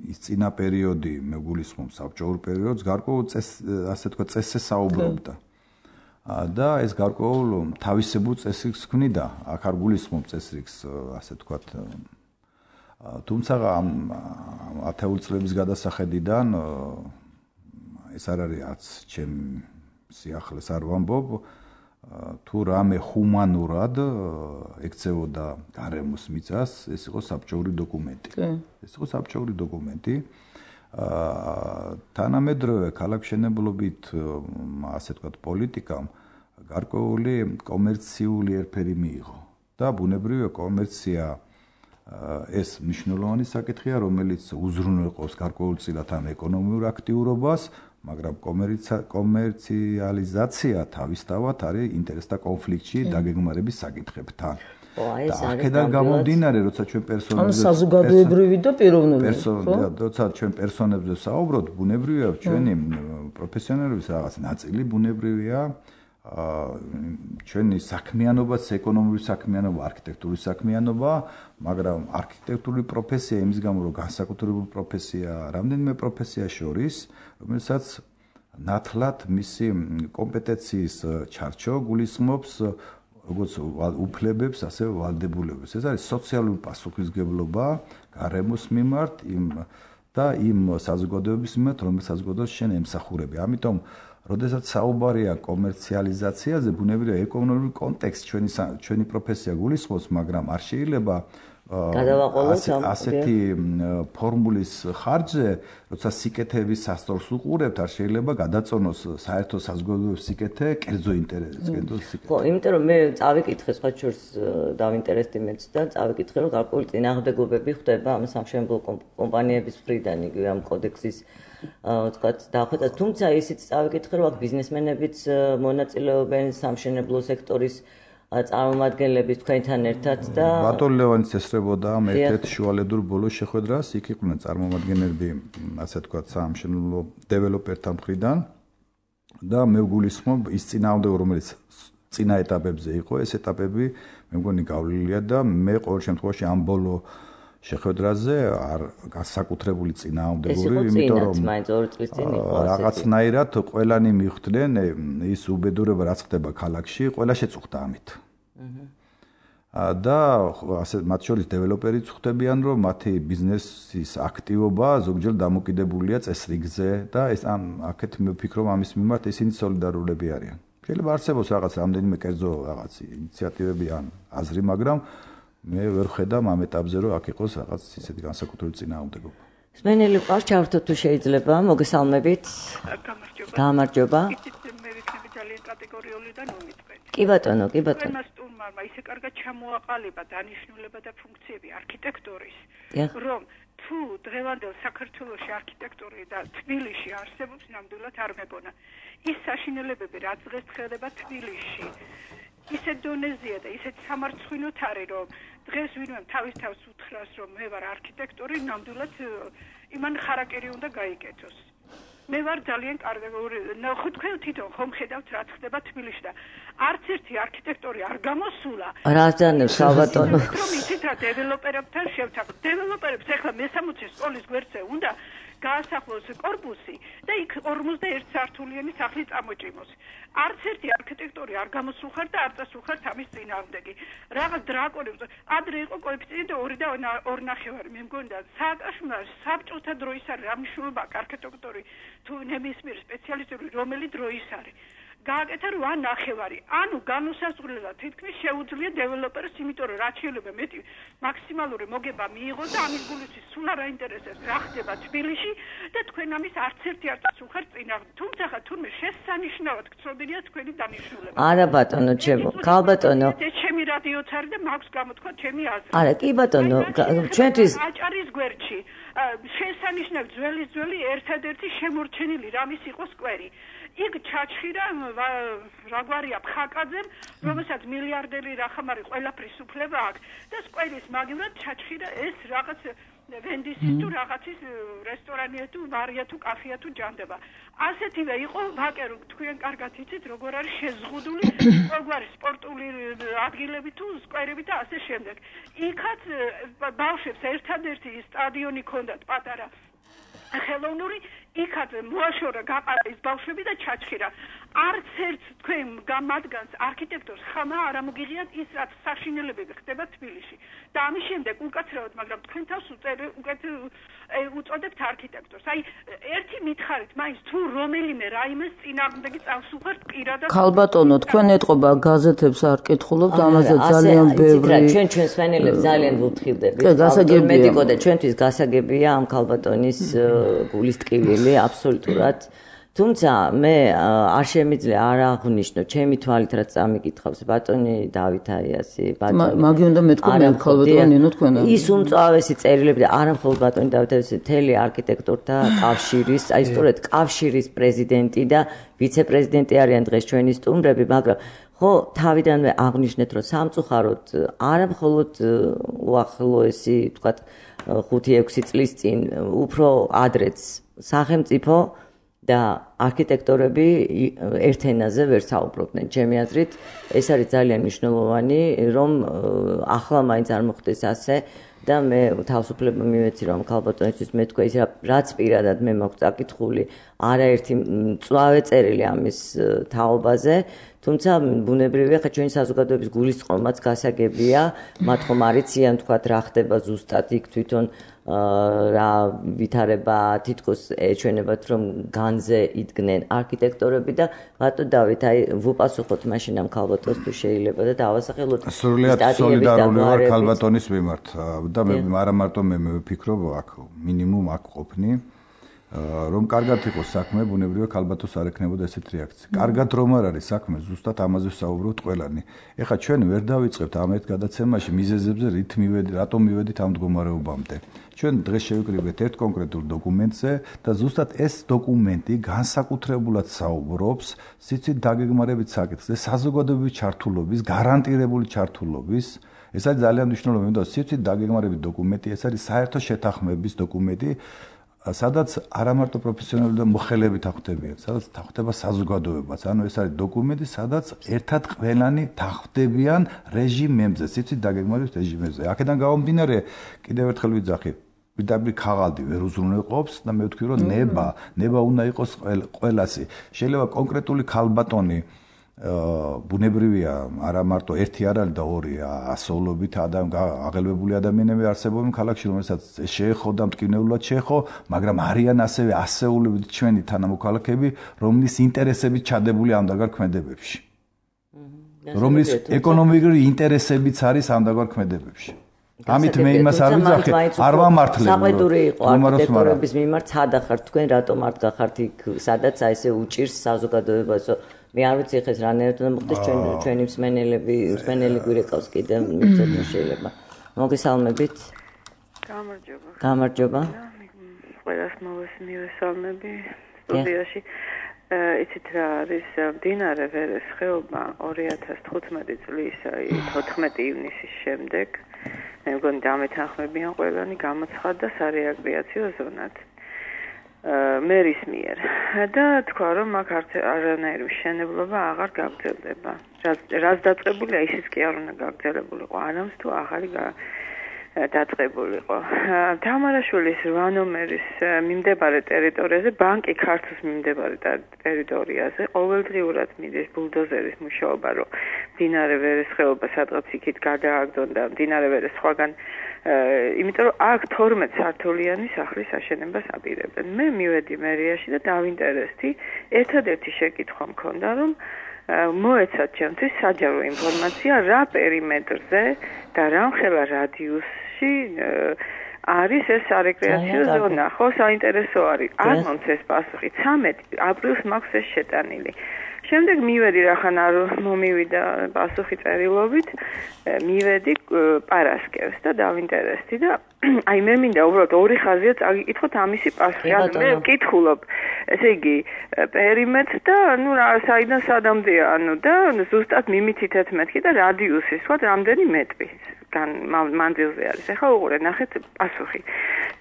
ის წინა პერიოდი მეგულისხმობს საბჭოურ პერიოდს, გარკვეულ ასე თქვა წესზე საუბრობდა. და ეს გარკვეულ თავისებურ წესრიგს ქმნიდა, აქ არ გულისხმობ წესრიგს, ასე თქვა. თუმცა 10 წლების გადასახედიდან ეს არ არის არც ჩემ სიახლეს არ ვამბობ, თუ რამე ჰუმანურად ექცევოდა გარემოს მიწას, ეს იყო საბჭოური დოკუმენტი. ეს იყო საბჭოური დოკუმენტი. თანამედროვე ქალაქშენებლობით, ასე ვთქვათ, პოლიტიკამ გარკვეული კომერციული ერფერი მიიღო და ბუნებრივია კომერცია ეს მნიშვნელოვანი საკითხია, რომელიც უზრუნველყოფს გარკვეულწილად ამ ეკონომიურ აქტიურობას, მაგრამ კომერციალიზაცია თავისთავად არის ინტერესთა კონფლიქტში დაგეგმარების საკითხებთან. აქედან გამომდინარე, როცა ჩვენ პერსონებზე საზოგადოებრივი და პიროვნული, როცა ჩვენ პერსონებზე საუბრობთ, ბუნებრივია ჩვენი პროფესიონალების რაღაც ნაწილი ბუნებრივია ჩვენი საქმიანობაც, ეკონომიკური საქმიანობა, არქიტექტურის საქმიანობა, მაგრამ არქიტექტურული პროფესია იმის გამო, რომ განსაკუთრებული პროფესია, რამდენიმე პროფესია შორის, რომელსაც ნათლად მისი კომპეტენციის ჩარჩო გულისხმობს როგორც უფლებებს, ასე ვალდებულებას. ეს არის სოციალური პასუხისმგებლობა გარემოს მიმართ და იმ საზოგადოების მიმართ, რომელიც საზოგადოებას შენ ემსახურები. ამიტომ როდესაც საუბარია კომერციალიზაციაზე, ბუნებრივია ეკონომიკური კონტექსტ ჩვენი პროფესია გულისხმობს, მაგრამ არ შეიძლება ასეთი ფორმულის ხარჯზე, როცა სიკეთეების სასწორს უყურებთ, არ შეიძლება გადაწონოს საერთო საზოგადოების სიკეთე კერძო ინტერესს. ხო, იმიტომ რომ მე წავიკითხე სხვა შორს დავინტერესდი მეც და წავიკითხე, რომ გარკვეული წინააღმდეგობები ხდება ამ სამშენებლო კომპანიების მხრიდან, იგივე ამ კოდექსის ვთქვათ, დახვეწა, თუმცა ისიც წავიკითხე, რომ აქ ბიზნესმენებიც მონაწილეობენ სამშენებლო სექტორის წარმომადგენლების თქვენთან ერთად და ბატონ ლევანის ესწრებოდა ამ ერთ-ერთ შუალედურ ბოლოს შეხვედრას, იქ იყვნენ წარმომადგენლები, ასე ვთქვათ, სამშენებლო დეველოპერთა მხრიდან და მე ვგულისხმობ ის წინააღმდეგობა, რომელიც წინა ეტაპებზე იყო, ეს ეტაპები მე მგონი გავლილია და მე ყოველ შემთხვევაში ამ ბოლო შეხვედრაზე არ განსაკუთრებული წინააღმდეგური, იმიტომ რომ მაინც 2 წლის წინ იყო რაღაცნაირად ყველანი მიხვდნენ ის უბედურება რაც ხდება ქალაქში, ყველა შეწუხდა ამით. და ასე მათ შორის დეველოპერიც ხვდებიან, რომ მათი ბიზნესის აქტივობა ზოგჯერ დამოკიდებულია წესრიგზე და ეს აქეთ მე ვფიქრობ ამის მიმართ ისინი სოლიდარულები არიან. შეიძლება არსებობს რაღაც რამდენიმე კერძო რაღაც ინიციატივები ან აზრი, მაგრამ მე ვერ ხედავ ამ ეტაპზე რომ აქ იყოს რაღაც ისეთი განსაკუთრებული წინააღმდეგობა. სმენელი ყავს ჩავთო თუ შეიძლება, მოგესალმებით. გამარჯობა. მე ვიქნები ძალიან კატეგორიული და ნომიტყვეთ. კი ბატონო, კი ბატონო. მას სტუმარმა ისე კარგად ჩამოაყალიბა დანიშნულება და ფუნქციები არქიტექტურის, რომ თუ დღევანდელ საქართველოში არქიტექტური და თბილისში არსებობს, ნამდვილად არ მეგონა. ის საშინელებები, რაც დღეს ხდება თბილისში, ისეთ დონეზეა და ისეთ სამარცხვინოთ არის, რომ დღეს ვინმე თავის თავს უთხრას, რომ მე ვარ არქიტექტორი, ნამდვილად იმან ხარაკერი უნდა გაიკეთოს. მე ვარ ძალიან კარგი, ხო თქვენ თვითონ ხომ ხედავთ რა ხდება თბილისში და არც ერთი არქიტექტორი არ გამოსულა. რა ძანებს ალბათონო. რომ იცით რა დეველოპერებთან შევთანხმდით. დეველოპერებს ახლა მე-60 სკოლის გვერდზე უნდა გაასახლოს კორპუსი და იქ 51 სართულიანი სახლი წამოჭიმოს. არც ერთი არქიტექტორი არ გამოსულხარ და არ წასულხარ ამის წინააღმდეგი. რაღაც დრაკონი ადრე იყო კოეფიციენტი 2 და 2.5. მე მგონდა სააკაშვილმა საბჭოთა დროის არის რა მნიშვნელობა არქიტექტორი თუ ნებისმიერ სპეციალისტური რომელი დროის არის. გააკეთა 8.5. ანუ განუსაზღვრელად თითქმის შეუძლია დეველოპერს, იმიტომ რომ რაც შეიძლება მეტი მაქსიმალური მოგება მიიღოს და ამის გულისთვის სულ არ აინტერესებს რა ხდება თბილისში და თქვენ ამის არც ერთი არ წასულხარ წინააღმდეგ. თუმცა ხა თურმე შესანიშნავად გწოდილია თქვენი დანიშნულება. არა ბატონო, ჩემო, ქალბატონო. ჩემი რადიოც არის და მაქვს გამოთქვა ჩემი აზრი. არა, კი ბატონო, ჩვენთვის აჭარის გვერდში შესანიშნავად ძველი ერთადერთი შემორჩენილი რამის იყო სკვერი. იქ ჩაჩხირა რაგვარია ფხაკაძემ, რომელსაც მილიარდერი რახამარი ყველაფრის უფლება აქვს და სკვერის მაგივრად ჩაჩხირა ეს რაღაც ვენდისის თუ რაღაცის რესტორანია თუ ბარია თუ კაფეა თუ ჯანდება. ასეთივე იყო ვაკერო, თქვენ კარგად იცით როგორ არის შეზღუდული როგორი სპორტული ადგილები თუ სკვერები და ასე შემდეგ. იქაც ბავშვებს ერთადერთი სტადიონი ჰქონდათ პატარა ხელოვნური, იქაც მოაშორა გაყარა ის ბავშვები და ჩაჩხირა. არც ერთ თქვენ მათგანს არქიტექტორს ხმა არ ამოგიღიათ ის რაც საშინელებები ხდება თბილისში. და ამის შემდეგ უკაცრავად, მაგრამ თქვენ თავს უწოდებთ არქიტექტორს. აი ერთი მითხარით, მაინც თუ რომელიმე რაიმეს წინააღმდეგი წავსუხართ პირადად. ქალბატონო, თქვენ ეტყობა გაზეთებს არ კითხულობთ, ამაზე ძალიან ბევრი. ჩვენ სვენელებს ძალიან ვუთხილდებით. მედიკო და ჩვენთვის გასაგებია ამ ქალბატონის გულის ტკივილი აბსოლუტურად. თუმცა მე არ შემიძლია არ აღვნიშნო ჩემი თვალით რაც წამიკითხავს ბატონი დავით აიასი, ბატონი მაგი უნდა მეთქვა ქალბატონი ნინო თქვენ. ის უმწვავესი წერილებია არა მხოლოდ ბატონი დავით აიასი, მთელი არქიტექტორთა კავშირის, აი სწორედ კავშირის პრეზიდენტი და ვიცე-პრეზიდენტი არიან დღეს ჩვენი სტუმრები, მაგრამ ხო თავიდანვე აღვნიშნეთ რომ სამწუხაროდ არა მხოლოდ უახლოესი თქვათ 5-6 წლის წინ უფრო ადრეც სახელმწიფო და არქიტექტორები ერთ ენაზე ვერ საუბრობდნენ. ჩემი აზრით, ეს არის ძალიან მნიშვნელოვანი, რომ ახლა მაინც არ მოხდეს ასე და მე თავისუფლება მივეცი რომ ქალბატონისთვის მეთქვა ის რაც პირადად მე მაქვს წაკითხული, არაერთი მწვავე წერილი ამის თაობაზე, თუმცა ბუნებრივია ხა ჩვენი საზოგადოების გულისწყრომაც გასაგებია, მათ ხომ არიციან თქვათ რა ხდება ზუსტად იქ თვითონ რა ვითარება თითქოს ეჩვენებათ რომ განზე იდგნენ არქიტექტორები და ბატონო დავით აი ვუპასუხოთ მაშინ ამ ქალბატონს თუ შეიძლება და დავასახელოთ სრულიად სოლიდარული ვარ ქალბატონის მიმართ და მე არა მარტო მე ვფიქრობ აქ მინიმუმ აქ ყოფნი რომ კარგად იყოს საქმე, ბუნებრივია ქალბატონს არ ექნებოდა ესეთ რეაქცია. კარგად რომ არ არის საქმე, ზუსტად ამაზე ვსაუბრობთ ყველანი. ეხლა ჩვენ ვერ დავიწყებთ ამეთ გადაცემაში მიზეზებზე, რატომ მივედით ამ მდგომარეობამდე. ჩვენ დღეს შევიკრიბეთ ერთ კონკრეტულ დოკუმენტზე და ზუსტად ეს დოკუმენტი განსაკუთრებულად საუბრობს სიცით დაგეგმარებით საკითხზე, საზოგადოების ჩართულობის, გარანტირებული ჩართულობის. ეს არის ძალიან მნიშვნელოვანი, იმიტომ რომ სიცით დაგეგმარებით დოკუმენტი, ეს არის საერთო შეთანხმების დოკუმენტი. სადაც არა მარტო პროფესიონალები და მოხელეები თანხმდებიან, სადაც თანხმდება საზოგადოებაც. ანუ ეს არის დოკუმენტი, სადაც ერთად ყველანი თანხმდებიან რეჟიმებზე, სიცით დაგეგმარების რეჟიმებზე. აქედან გამომდინარე, კიდევ ერთხელ ვიძახი, პირდაპირ ქაღალდი ვერ უზრუნველყოფს და მე ვთქვი, რომ ნება უნდა იყოს ყველასი. შეიძლება კონკრეტული ქალბატონი ბუნებრივია, არა მარტო ერთი არ არის და ორი, ასეულობით აღელვებული ადამიანები არსებობენ ქალაქში, რომელსაც შეეხო და მტკივნეულად შეეხო, მაგრამ არიან ასევე ასეულობით ჩვენი თანამოქალაქეები, რომლის ინტერესებით ჩადებული ამდაგარ ქმედებებში. რომლის ეკონომიკური ინტერესებიც არის ამდაგარ ქმედებებში. ამით მე იმას არ ვიძახი, არ ვამართლებ. საყვედური იყო არქიტექტორების მიმართ სადა ხართ თქვენ, რატომ არ გახართ იქ, სადაც აი ესე უჭირს საზოგადოებას. მე არ ვიცი ხეს რანაირად უნდა მოხდეს ჩვენი მსმენელი გვირეკავს კიდე მიწოთ შეიძლება. მოგესალმებით. გამარჯობა. ყველას მივესალმები სტუდიაში. იცით რა არის მდინარე ვერეს ხეობა 2015 წლის 14 ივნისის შემდეგ მე მგონი დამეთანხმებიან ყველანი გამოცხადდა სარეაკრეაციო ზონად მერის მიერ და თქვა რომ აქ არანაირი მშენებლობა აღარ გაგრძელდება. რაც დაწყებულია ისიც კი არ უნდა გაგრძელებულიყო, არამც თუ ახალი დაწყებულიყო. თამარაშვილის 8 ნომერის მიმდებარე ტერიტორიაზე, ბანკი ქართლის მიმდებარე ტერიტორიაზე ყოველდღიურად მიდის ბულდოზერის მუშაობა, რომ მდინარე ვერეს ხეობა სადღაც იქით გადააგდონ და მდინარე ვერეს სხვაგან იმიტომ რომ აქ 12 სართულიანი სახლის აშენებას აპირებენ. მე მივედი მერიაში და დავინტერესდი, ერთადერთი შეკითხვა მქონდა, რომ მოეცათ ჩემთვის საჯარო ინფორმაცია რა პერიმეტრზე და რამხელა რადიუსში არის ეს სარეკრეაციო ზონა. ხო, საინტერესო არის. არ მომწეს პასუხი. 13 აპრილს მაქვს ეს შეტანილი. შემდეგ მივედი რახან არ მომივიდა პასუხი წერილობით, მივედი პარასკევს და დავინტერესდი და აი მე მინდა უბრალოდ ორი ხაზია წაგიკითხოთ ამისი პასუხი. მე ვკითხულობ, ესე იგი, პერიმეტრს და ნუ რა საიდან სადამდეა, ანუ და ზუსტად მიმითითეთ მეთქი და რადიუსი, სხვა რამდენი მეტრი მანძილზე არის. ეხლა უყურეთ, ნახეთ პასუხი.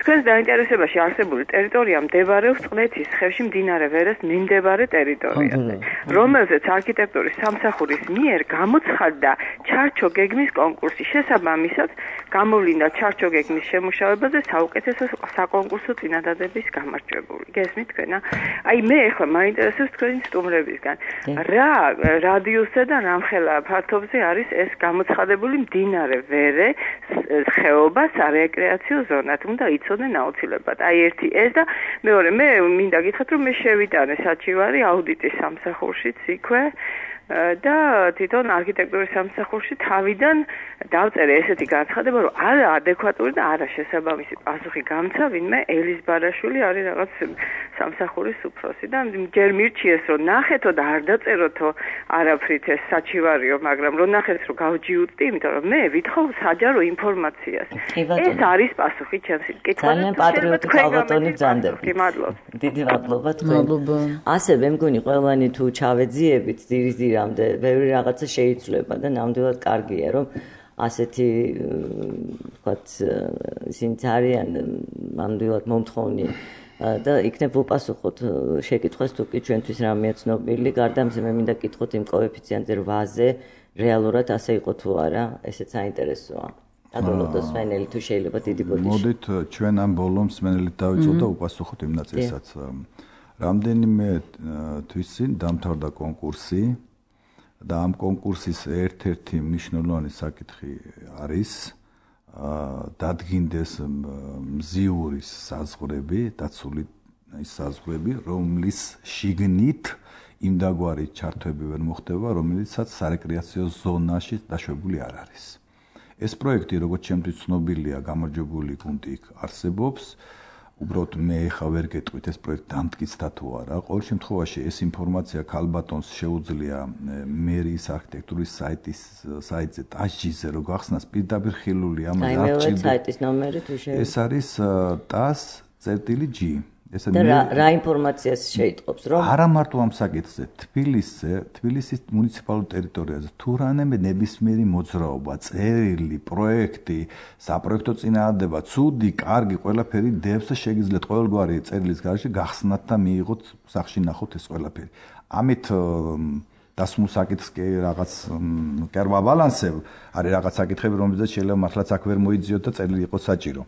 თქვენს დაინტერესებაში არსებული ტერიტორია მდებარეობს წყლეთის ხევში მდინარე ვერეს მიმდებარე ტერიტორიაზე, რომელზეც არქიტექტურის სამსახურის მიერ გამოცხადდა ჩარჩოგეგმის კონკურსი. შესაბამისად, გამოვლინდა ჩარჩოგეგმის შემუშავებაზე საუკეთესო საკონკურსო წინადადების გამარჯვებული. გესმით თქვენა? აი მე ეხლა მაინტერესებს თქვენი სტუმრებისგან. რა რადიუსზე და რამხელა ფართობზე არის ეს გამოცხადებული მდინარე ვერე ხეობა სარეკრეაციო ზონად? უნდა იცოდნენ აუცილებლად. აი ერთი ეს და მეორე მე მინდა გითხრათ, რომ მე შევიტანე საჩივარი აუდიტის სამსახურშიც იქვე და თვითონ არქიტექტურის სამსახურში თავიდან დავწერე ესეთი განცხადება, რომ არა ადეკვატური და არა შესაბამისი პასუხი გამცა, ვინმე ელის ბარაშვილი არის რაღაც სამსახურის უფროსი და ჯერ მირჩიეს, რომ ნახეთო და არ დაწეროთო არაფრით ეს საჩივარიო, მაგრამ რომ ნახეთ, რომ გავჯიუტდი, იმიტომ რომ მე ვითხოვ საჯარო ინფორმაციას. ეს არის პასუხი ჩემს კითხვაზე. ძალიან პატრიოტი ქალბატონი ბრძანდები. დიდი მადლობა თქვენ. ასე მე მგონი ყველანი თუ ჩავეძიებით ძირამდე ბევრი რაღაცა შეიცვლება და ნამდვილად კარგია რომ ასეთი ვთქვათ ისინი არიან ნამდვილად მომთხოვნი და იქნებ უპასუხოთ შეკითხვას თუ კი ჩვენთვის რამეა ცნობილი. გარდა ამისა მე მინდა გკითხოთ იმ კოეფიციენტზე 8-ზე რეალურად ასე იყო თუ არა, ესეც საინტერესოა. დაგოლოთ სვენელი თუ შეიძლება დიდი ბოდიში. მოდით ჩვენ ამ ბოლომს სვენელით დავიწყოთ და უპასუხოთ იმ ნაწილსაც. რამდენიმე თვის წინ დამთავრდა კონკურსი და ამ კონკურსის ერთ-ერთი მნიშვნელოვანი საკითხი არის დადგინდეს მზიურის საზღვრები, დაცული საზღვრები, რომლის შიგნით იმდაგვარი ჩართვები ვერ მოხდება, რომელიცაც სარეკრეაციო ზონაში დაშვებული არ არის. ეს პროექტი, როგორც ჩემთვის ცნობილია, გამარჯვებული გუნდი იქ არსებობს. უბრალოდ მე ხა ვერ გეტყვით ეს პროექტი დამტკიცდა თუ არა. ყოველ შემთხვევაში ეს ინფორმაცია ქალბატონს შეუძლია მერიის არქიტექტურის საიტზე TASG-ზე რო გახსნას პირდაპირ ხილული ამაზე არ ჭირდება. საიტის ნომერი თუ შეიძლება. ეს არის TAS-G. ესე რა ინფორმაციას შეიტყობს, რომ არა მარტო ამ საკითხზე, თბილისის მუნიციპალურ ტერიტორიაზე თუ რამე ნებისმიერი მოძრაობა, წერილი, პროექტი, საპროექტო წინააღმდება, ცუდი, კარგი, ყველაფერი დევს და შეგიძლიათ ყოველგვარი წერილის გარშე გახსნათ და მიიღოთ სახში ნახოთ ეს ყველაფერი. ამით დასმულ საკითხს კი რაღაც კერვა ბალანსებ, არის რაღაც საკითხები, რომელზეც შეიძლება მართლაც აქ ვერ მოიძიოთ და წერილი იყოს საჭირო.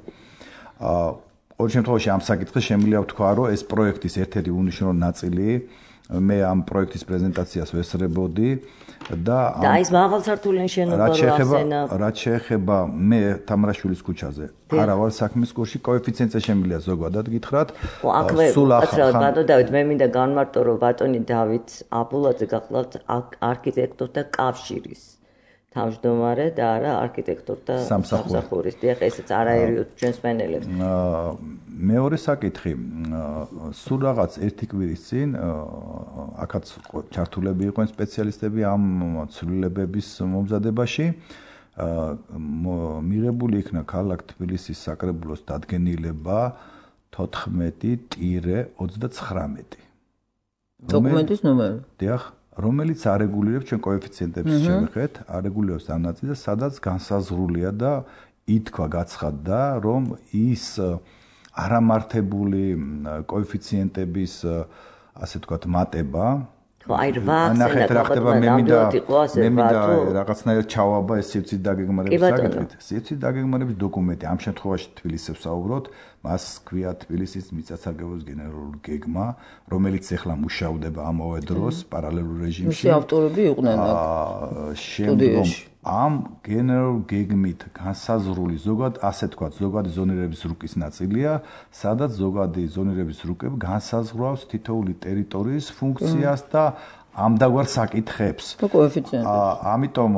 ყოველ შემთხვევაში ამ საკითხს შემიძლია ვთქვა, რომ ეს პროექტის ერთ-ერთი უნიშნულო ნაწილი მე ამ პროექტის პრეზენტაციას ვესწრებოდი და ის მაღალსართულიანი შენობა რაც შეეხება მე თამრაშვილის ქუჩაზე არა ვარ საქმის კურსში კოეფიციენტზე შემიძლია ზოგადად გითხრათ სულ ახლა ბატონო დავით მე მინდა განმარტო რომ ბატონი დავით აბულაძე გახლავთ არქიტექტორთა კავშირის თავმჯდომარე და არა არქიტექტორთა სამსახურის დიახ ესეც არაერია ჩვენს მენელებს მეორე საკითხი სულ რაღაც ერთი კვირის წინ აქაც ჩართულები იყვნენ სპეციალისტები ამ ცვლილებების მომზადებაში მიღებული იქნა ქალაქ თბილისის საკრებულოს დადგენილება 14-39 დოკუმენტის ნომერი დიახ რომელიც არეგულირებს ჩვენ კოეფიციენტებს შევეხეთ, არეგულირებს ამ ნაწილს, სადაც განსაზღვრულია და ითქვა გაცხადდა, რომ ის არამართებული კოეფიციენტების ასე ვთქვათ მატება აი 8 მე მინდა რაღაცნაირად ჩავაბა ეს სივრცის დაგეგმარების საკითხით. სივრცის დაგეგმარების დოკუმენტი ამ შემთხვევაში თბილისს ვსაუბრობთ, მას ქვია თბილისის მიწათსარგებლობის გენერალური გეგმა, რომელიც ახლა მუშადება ამავე დროს პარალელურ რეჟიმში. მისი ავტორები იყვნენ შემდგომ ამ გენერალურ გეგმით განსაზღვრული ზოგად ასე თქვა ზოგადი ზონირების რუკის ნაწილია, სადაც ზოგადი ზონირების რუკები განსაზღვრავს თითოეული ტერიტორიის ფუნქციას და ამდაგვარ საკითხებს. ამიტომ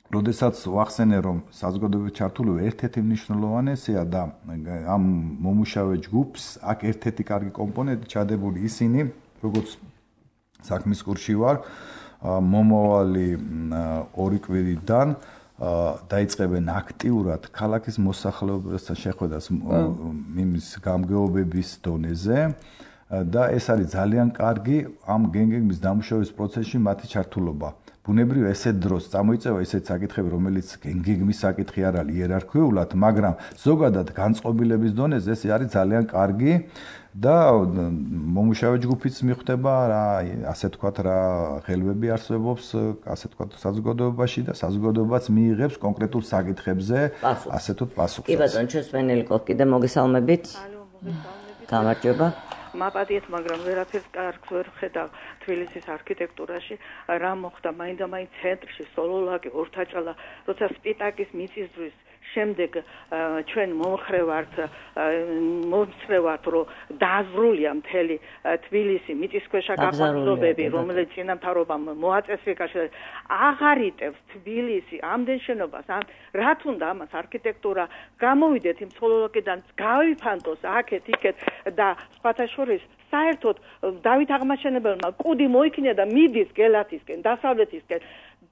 როდესაც ვახსენე რომ საზოგადოების ჩართულობა ერთ-ერთი მნიშვნელოვანესია და ამ მომუშავე ჯგუფს აქ ერთ-ერთი კარგი კომპონენტი ჩადებული ისინი, როგორც საქმის კურსში ვარ მომავალი 2 კვირიდან დაიწყებენ აქტიურად ქალაქის მოსახლეობასთან შეხვედრას იმის გამგეობების დონეზე და ეს არის ძალიან კარგი ამ გეგმის დამუშავების პროცესში მათი ჩართულობა. ბუნებრივია ესეთ დროს წამოიწევა ესეთ საკითხები, რომელიც გეგმის საკითხი არ არის იერარქიულად, მაგრამ ზოგადად განწყობილების დონეზე ეს არის ძალიან კარგი და მომუშავე ჯგუფიც მიხვდება რა ასე ვთქვათ რა ხელვები არსებობს ასე ვთქვათ საზოგადოებაში და საზოგადოებაც მიიღებს კონკრეტულ საკითხებზე ასე თუ პასუხს. კი ბატონო, ჩვენს პანელიკოს კიდე მოგესალმებით. გამარჯობა. მაპატიეთ, მაგრამ ვერაფერს კარგს ვერ ხედავ თბილისის არქიტექტურაში, რა მოხდა მაინდა-მაინც ცენტრში, სოლოლაკი, ორთაჭალა, როცა სპიტაკის მიწისძვრის შემდეგ ჩვენ მომხრევართ, რომ დააზრულია მთელი თბილისი მიწისქვეშა გაყვანილობები, რომელიც წინამთავრობამ მოაწესრიგა, აღარიტებს თბილისი ამდენ შენობას, რა თუნდა ამას არქიტექტურა გამოვიდეთ იმ სოლოლაკიდან, გავიფანტოს აქეთ-იქეთ და სხვათა შორის საერთოდ დავით აღმაშენებელმა კუდი მოიქნა და მიდის გელათისკენ, დასავლეთისკენ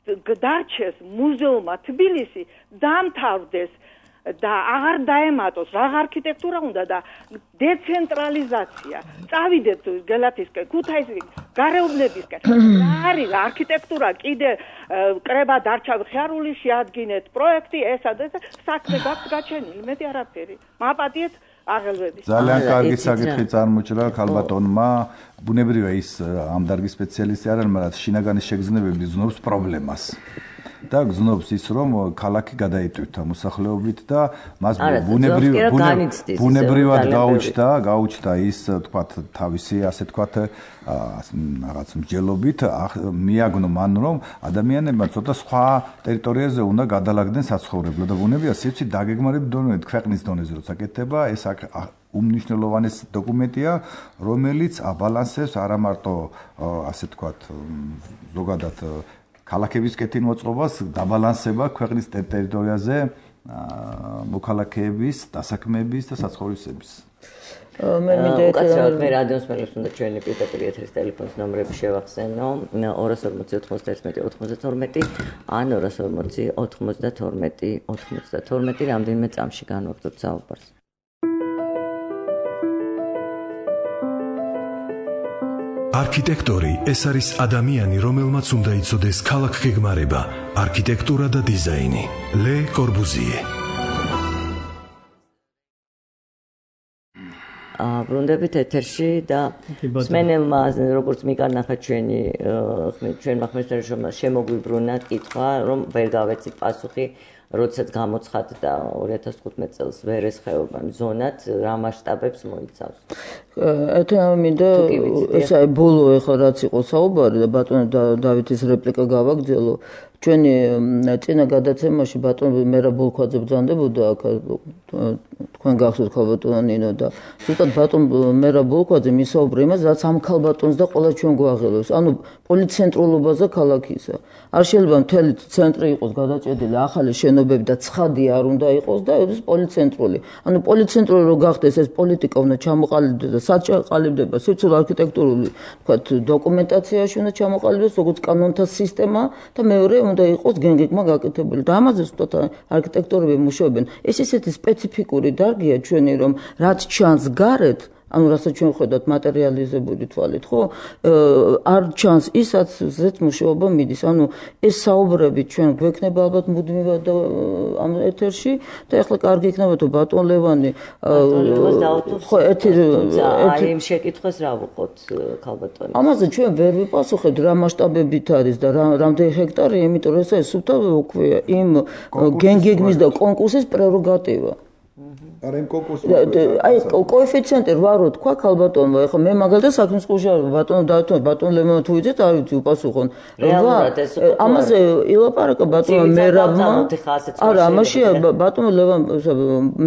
დარჩეს მუზეუმად თბილისი დამთავრდეს და აღარ დაემატოს რა არქიტექტურა უნდა და დეცენტრალიზაცია წავიდეთ გელათისკენ ქუთაისის გარეუბნებისკენ რა არის არქიტექტურა კიდე კრება დარჩა ხიარული შეადგინეთ პროექტი ესა და საქმე გაქვს გაჩენილი მეტი არაფერი მაპატიეთ აღელვები ძალიან კარგი საკითხი წარმოჭრა ქალბატონმა ბუნებრივია ის ამ დარგის სპეციალისტი არ არის მაგრამ შინაგანი შეგრძნებები ზნობს პრობლემას და გზნობს ის რომ ქალაქი გადაიტვირთა მოსახლეობით და მას ბუნებრივად გაუჩნდა ის თქვათ თავისი ასე თქვათ რაღაც მსჯელობით მიაგნო მან რომ ადამიანებმა ცოტა სხვა ტერიტორიაზე უნდა გადალაგდნენ საცხოვრებლად და ბუნებრივია სივრცის დაგეგმარების დონეზე ქვეყნის დონეზე როცა კეთდება ეს უმნიშვნელოვანეს დოკუმენტია რომელიც აბალანსებს არა მარტო ასე თქვათ ზოგადად ქალაქების კეთილმოწყობას დაბალანსება ქვეყნის ტერიტორიაზე მოქალაქეების, დასაქმების და საცხოვრისების. უკაცრავად მე რადიოს მელებს უნდა ჩვენი პირდაპირ ეთერის ტელეფონის ნომრები შევახსენო 240 ან 240 რამდენიმე წამში განვაგრძობთ საუბარს. არქიტექტორი ეს არის ადამიანი, რომელმაც უნდა იცოდეს ქალაქგეგმარება, არქიტექტურა და დიზაინი. ლე კორბუზიე. ბრუნდებით ეთერში და სმენელმა როგორც მიგანახა ჩვენმა ხმესტერშმა შემოგვიბრუნა კითხვა, რომ ვერ გავეცით პასუხი, როდესაც გამოცხადდა 2015 წელს ვერეს ხეობამ ზონად, რა მასშტაბებს მოიცავს. მინდა ესა ბოლო ეხლა რაც იყო საუბარი და ბატონ დავითის რეპლიკა გავაგრძელო. ჩვენი წინა გადაცემაში ბატონ მერაბ ბოლქვაძე ბრძანდებოდა აქ თქვენ გახსოვთ ქალბატონო ნინო და ზუსტად ბატონ მერაბ ბოლქვაძე მისაუბრა იმას, რაც ამ ქალბატონს და ყველა ჩვენ გვაღელვებს. ანუ პოლიცენტრულობაზე ქალაქისა. არ შეიძლება მთელი ცენტრი იყოს გადაჭედილი ახალი შენობები და ცხადი არ უნდა იყოს და ეს პოლიცენტრული. ანუ პოლიცენტრული რო გახდეს ეს პოლიტიკა უნდა ჩამოყალიბდეს და სად ჩაყალიბდება სიცოცხლე არქიტექტურული თქვათ დოკუმენტაციაში უნდა ჩამოყალიბდეს როგორც კანონთა სისტემა და მეორე უნდა იყოს გენგეგმა გაკეთებული და ამაზე ზუსტად არქიტექტორები მუშაობენ. ეს ისეთი სპეციფიკური დარგია ჩვენი რომ რაც ჩანს გარეთ ანუ რასაც ჩვენ ხედავთ მატერიალიზებული თვალით, ხო? არ ჩანს ისაც ზეც მუშაობა მიდის. ანუ ეს საუბრები ჩვენ გვექნება ალბათ მუდმივად და ამ ეთერში და ახლა კარგი იქნება თუ ბატონ ლევანი ხო აი იმ შეკითხვას რა ვუყოთ ქალბატონი. ამაზე ჩვენ ვერ ვიპასუხებთ რა მასშტაბებით არის და რამდენი ჰექტარი, იმიტომ რომ ეს სუფთა უქვია იმ გენგეგმის და კონკურსის პრეროგატივა. არა იმ კონკურსში აი კოეფიციენტი 8 რო თქვა ქალბატონმა ეხლა მე მაგალითად საქმის ყურში ბატონ ლემონო თუ იცით არ ვიცი უპასუხონ ამაზე ილაპარაკა ბატონმა მერაბმა არა ამაში ბატონ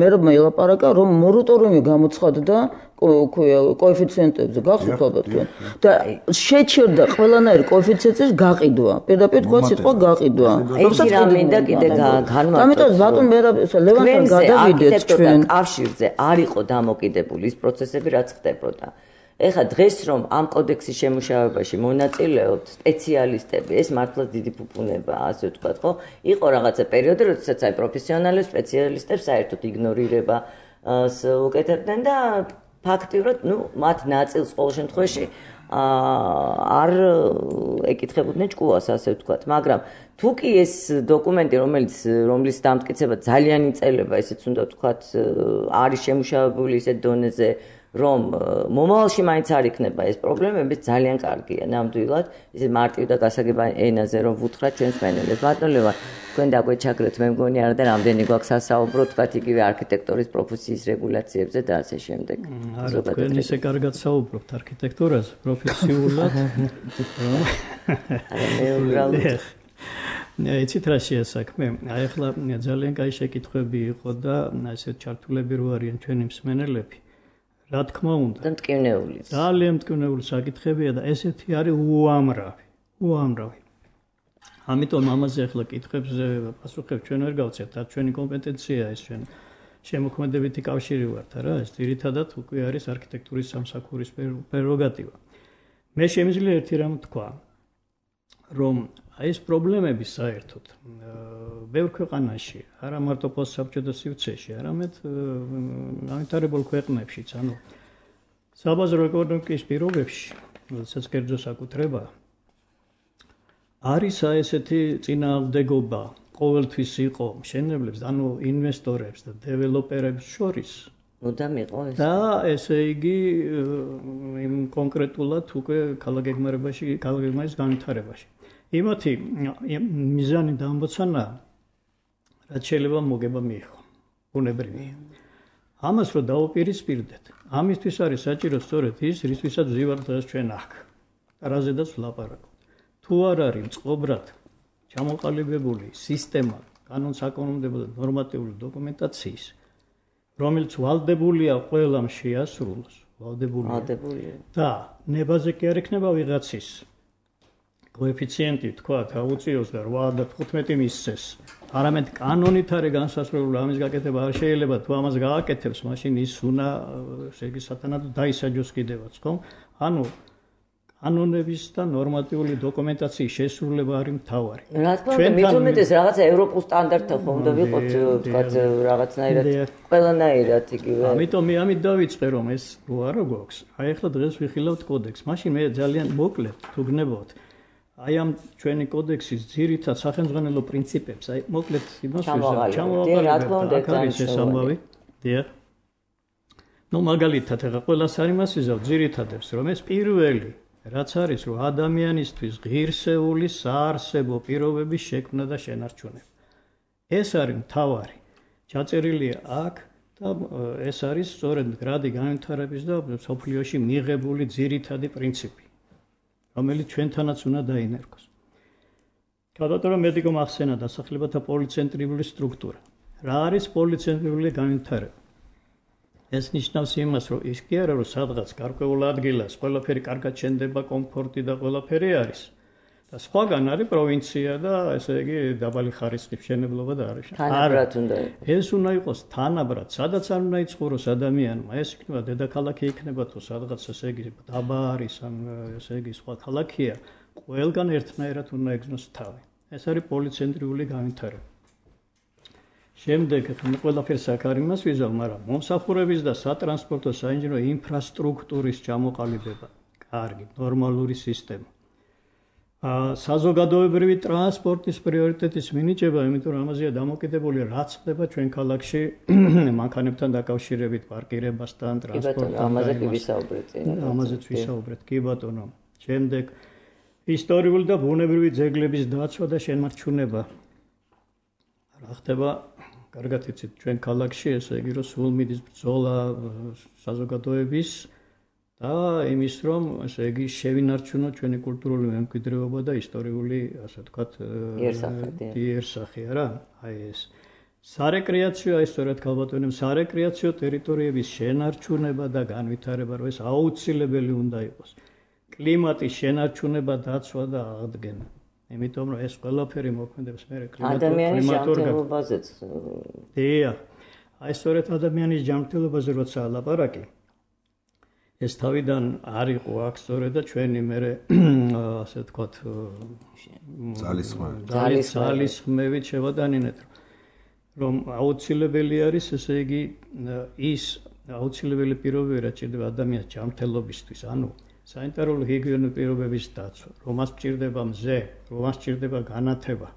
მერაბმა ილაპარაკა რომ მორატორიუმი გამოცხადდა კოეფიციენტებზე გახსოვთ ალბათ თქვენ და შეჩერდა ყველანაირი კოეფიციენტის გაყიდვა პირდაპირ თქვა სიტყვა გაყიდვა როდესაც მინდა კიდე განმარტო ამიტომ ბატონ მერაბ ლევანთან გადავიდეთ ჩვენ კავშირზე არ იყო დამოკიდებული ის პროცესები რაც ხდებოდა ეხლა დღეს რომ ამ კოდექსის შემუშავებაში მონაწილეობთ სპეციალისტები ეს მართლაც დიდი ფუფუნებაა ასე ვთქვათ ხო იყო რაღაცა პერიოდი როდესაც აი პროფესიონალი სპეციალისტებს საერთოდ იგნორირება უკეთებდნენ და ფაქტიურად, მათ ნაწილს ყოველ შემთხვევაში არ ეკითხებოდნენ ჭკუას, ასე ვთქვათ, მაგრამ თუ კი ეს დოკუმენტი, რომლის დამტკიცება ძალიან იწელება, ესეც უნდა ვთქვათ, არის შემუშავებული ისეთ დონეზე, რომ მომავალში მაინც არ იქნება ეს პრობლემები, ძალიან კარგია, ნამდვილად, ისე მარტივ და გასაგებ ენაზე რომ ვუთხრათ ჩვენს მენელებს. ბატონ ლევან, თქვენ დაგვეჩაგრეთ, მე მგონი არა და რამდენი გვაქვს სასაუბრო, თქვათ იგივე არქიტექტორის პროფესიის რეგულაციებზე და ასე შემდეგ. არა, თქვენ ისე კარგად საუბრობთ არქიტექტურაზე, პროფესიულად. არა, მე უბრალოდ იცით რა შეასაქმე? აი ახლა ძალიან კაი შეკითხვები იყო და ესე ჩართულები რო არიან ჩვენი მსმენელები. რა თქმა უნდა და მტკივნეული ძალიან მტკივნეული საკითხებია და ესეთი არის უამრავი ამიტომ ამაზე ახლა კითხვებზე პასუხებს ჩვენ ვერ გავცეთ და ჩვენი კომპეტენციაა ეს ჩვენ შემოქმედებითი კავშირი ვართ რა ეს ძირითადად უკვე არის არქიტექტურის სამსახურის პრეროგატივა მე შემიძლია ერთი რამ თქვა რომ აი ეს პრობლემები საერთოდ ბევრ ქვეყანაში არა მარტო პოსტსაბჭოთა სივრცეში არამედ განვითარებულ ქვეყნებშიც ანუ საბაზრო ეკონომიკის პირობებში როდესაც კერძო საკუთრება არის ესეთი წინააღმდეგობა ყოველთვის იყო მშენებლებს ანუ ინვესტორებს და დეველოპერებს შორის მუდამ იყო ეს და ესე იგი იმ კონკრეტულად უკვე ქალაქგეგმარების განვითარებაში იმათი მიზანი და ამბოცანა რაც შეიძლება მოგება მიიღო ბუნებრივია ამას რო დაუპირისპირდეთ ამისთვის არის საჭირო სწორედ ის რისთვისაც ვზივართ დღეს ჩვენ აქ რაზედაც ვლაპარაკობთ თუ არ არის წყობრად ჩამოყალიბებული სისტემა კანონსაკანონმდებლო და ნორმატიული დოკუმენტაციის რომელიც ვალდებულია ყველამ შეასრულოს ვალდებულია და ნებაზე კი არ ექნება ვიღაცის კოეფიციენტი თქვა გაუწიოს და 8 და 15 მისცეს არამედ კანონით არის განსაზღვრებული ამის გაკეთება არ შეიძლება თუ ამას გააკეთებს მაშინ ის უნდა ესე იგი სათანადო დაისაჯოს კიდევაც ხო ანუ კანონების და ნორმატიული დოკუმენტაციის შესრულება არის მთავარი. რა თქმა უნდა, მით უმეტეს რაღაცა ევროპულ სტანდარტთან ხომ უნდა ვიყოთ, თქვათ რაღაცნაირად, ყველანაირად იგივე. ამით დავიწყე რომ ეს უარო გვაქვს. აი ახლა დღეს ვიხილავთ კოდექსს. მაშინ მე ძალიან მოკლედ თუ გნებავთ აი ამ ჩვენი კოდექსის ძირითად სახელმძღვანელო პრინციპებს, აი მოკლედ იმას ჩამოვაყალიბეთ. რა თქმა უნდა, ეს ამბავი. დიახ. ნუ მაგალითად ახლა ყველას არ იმას ვიზავ ძირითადებს, რომ ეს პირველი რაც არის, რომ ადამიანისთვის ღირსეული საარსებო პირობების შექმნა და შენარჩუნება. ეს არის მთავარი. ჩაწერილია აქ და ეს არის სწორედ მდგრადი განვითარების და სოფლიოში მიღებული ძირითადი პრინციპი, რომელიც ჩვენთანაც უნდა დაინერგოს. გადავწერა მედიკო ახსენა დასახლებათა პოლიცენტრიული სტრუქტურა. რა არის პოლიცენტრიული განვითარება? ეს ნიშნავს იმას, რომ ის კი არა, რომ სადღაც გარკვეულ ადგილას ყველაფერი კარგად შენდება, კომფორტი და ყველაფერი არის. და სხვაგან არის პროვინცია და ესე იგი დაბალი ხარისხის მშენებლობა და არის. თანაბრად უნდა იყოს. ეს უნდა იყოს თანაბრად, სადაც არ უნდა იცხოვროს ადამიანმა. ეს იქნება დედაქალაქი იქნება თუ სადღაც ესე იგი დაბა არის, ან ესე იგი სხვა ქალაქია, ყველგან ერთნაირად უნდა ეგზნოს თავი. ეს არის პოლიცენტრიული განვითარება. შემდეგ ყველაფერს აქ არ იმას ვიზავ, მაგრამ მომსახურების და სატრანსპორტო საინჟინრო ინფრასტრუქტურის ჩამოყალიბება, კარგი, ნორმალური სისტემა. საზოგადოებრივი ტრანსპორტის პრიორიტეტის მინიჭება, იმიტომ რომ ამაზეა დამოკიდებული, რაც ხდება ჩვენ ქალაქში მანქანებთან დაკავშირებით, პარკირებასთან, ტრანსპორტთან. ამაზე ვისაუბრეთ. ამაზეც ვისაუბრეთ, კი ბატონო. შემდეგ ისტორიული და ბუნებრივი ძეგლების დაცვა და შენარჩუნება. რა ხდება? კარგად იცით, ჩვენ ქალაქში ესე იგი რომ სულ მიდის ბრძოლა საზოგადოების და იმის რომ ესე იგი შევინარჩუნოთ ჩვენი კულტურული მემკვიდრეობა და ისტორიული, ასე ვთქვათ, იერსახე რა. აი ეს სარეკრეაციო, აი სწორედ ქალბატონემ სარეკრეაციო ტერიტორიების შენარჩუნება და განვითარება, რომ ეს აუცილებელი უნდა იყოს. კლიმატის შენარჩუნება, დაცვა და აღდგენა. იმიტომ რომ ეს ყველაფერი მოქმედებს მე ადამიანის ჯანმრთელობაზეც. დიახ. აი სწორედ ადამიანის ჯანმრთელობაზე როცა ლაპარაკი, ეს თავიდან არ იყო აქ სწორედ და ჩვენი მე ასე ვთქვათ ძალისხმევით შევადანინეთ, რომ აუცილებელი არის ესე იგი ის აუცილებელი პირობები, რაც ჭირდება ადამიანის ჯანმრთელობისთვის, ანუ სანიტარული ჰიგიენური პირობების დაცვა, რომას სჭირდება მზე, რომას სჭირდება განათება,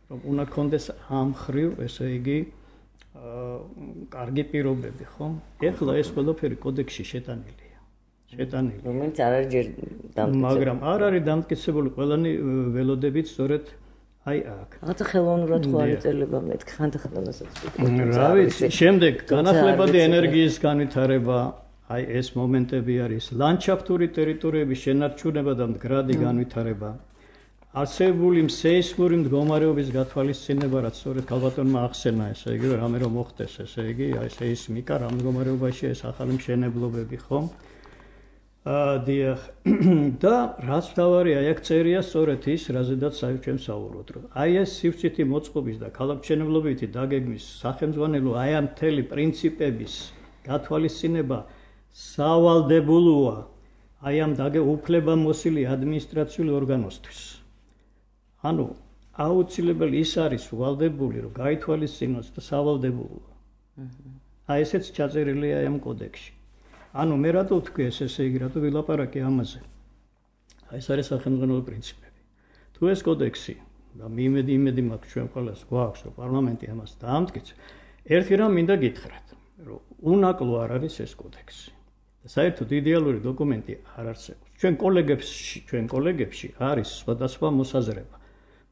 რომ უნდა კონდეს ამ ხრივ, ესე იგი, კარგი პირობები, ხო? ეხლა ეს ყველაფერი კოდექსში შეტანილია. რომელიც არ არის ჯერ დამტკიცებული. მაგრამ არ არის დამტკიცებული ყველანი ველოდებით სწორედ აი აქ. რაღაცა ხელოვნურად ხო არ ეწელება მეთქი ხანდახანასაც. რა ვიცი, შემდეგ განახლებადი ენერგიის განვითარება, აი ეს მომენტები არის ლანდშაფტური ტერიტორიების შენარჩუნება და მდგრადი განვითარება. არსებული სეისმური მდგომარეობის გათვალისწინება, რაც სწორედ ქალბატონმა ახსენა, ესე იგი, რამე რომ მოხდეს, ესე იგი, აი სეისმიკა რა მდგომარეობაში ეს ახალი მშენებლობები, ხო? დიახ. და რაც თავარია, აი აქ წერია სწორედ ის, რაზედაც ჩვენ საუბრობთ, რომ აი ეს სივრცითი მოწყობის და ქალაქმშენებლობითი დაგეგმვის სახელმძღვანელო აი ამ მთელი პრინციპების გათვალისწინება სავალდებულოა აი ამ უფლებამოსილი ადმინისტრაციული ორგანოსთვის. ანუ აუცილებელი ის არის ვალდებული, რომ გაითვალისწინოს და სავალდებულოა. აი ესეც ჩაწერილია აი ამ კოდექსში. ანუ მე რატო ვთქვი ესე იგი, რატო ვილაპარაკე ამაზე? აი ეს არის სახელმძღვანელო პრინციპები. თუ ეს კოდექსი და იმედი მაქვს ჩვენ ყველას გვაქვს, რომ პარლამენტი ამას დაამტკიცებს, ერთი რამ მინდა გითხრათ, რომ უნაკლო არ არის ეს კოდექსი. საერთოდ იდეალური დოკუმენტი არ არსებობს. ჩვენ კოლეგებში არის სხვადასხვა მოსაზრება.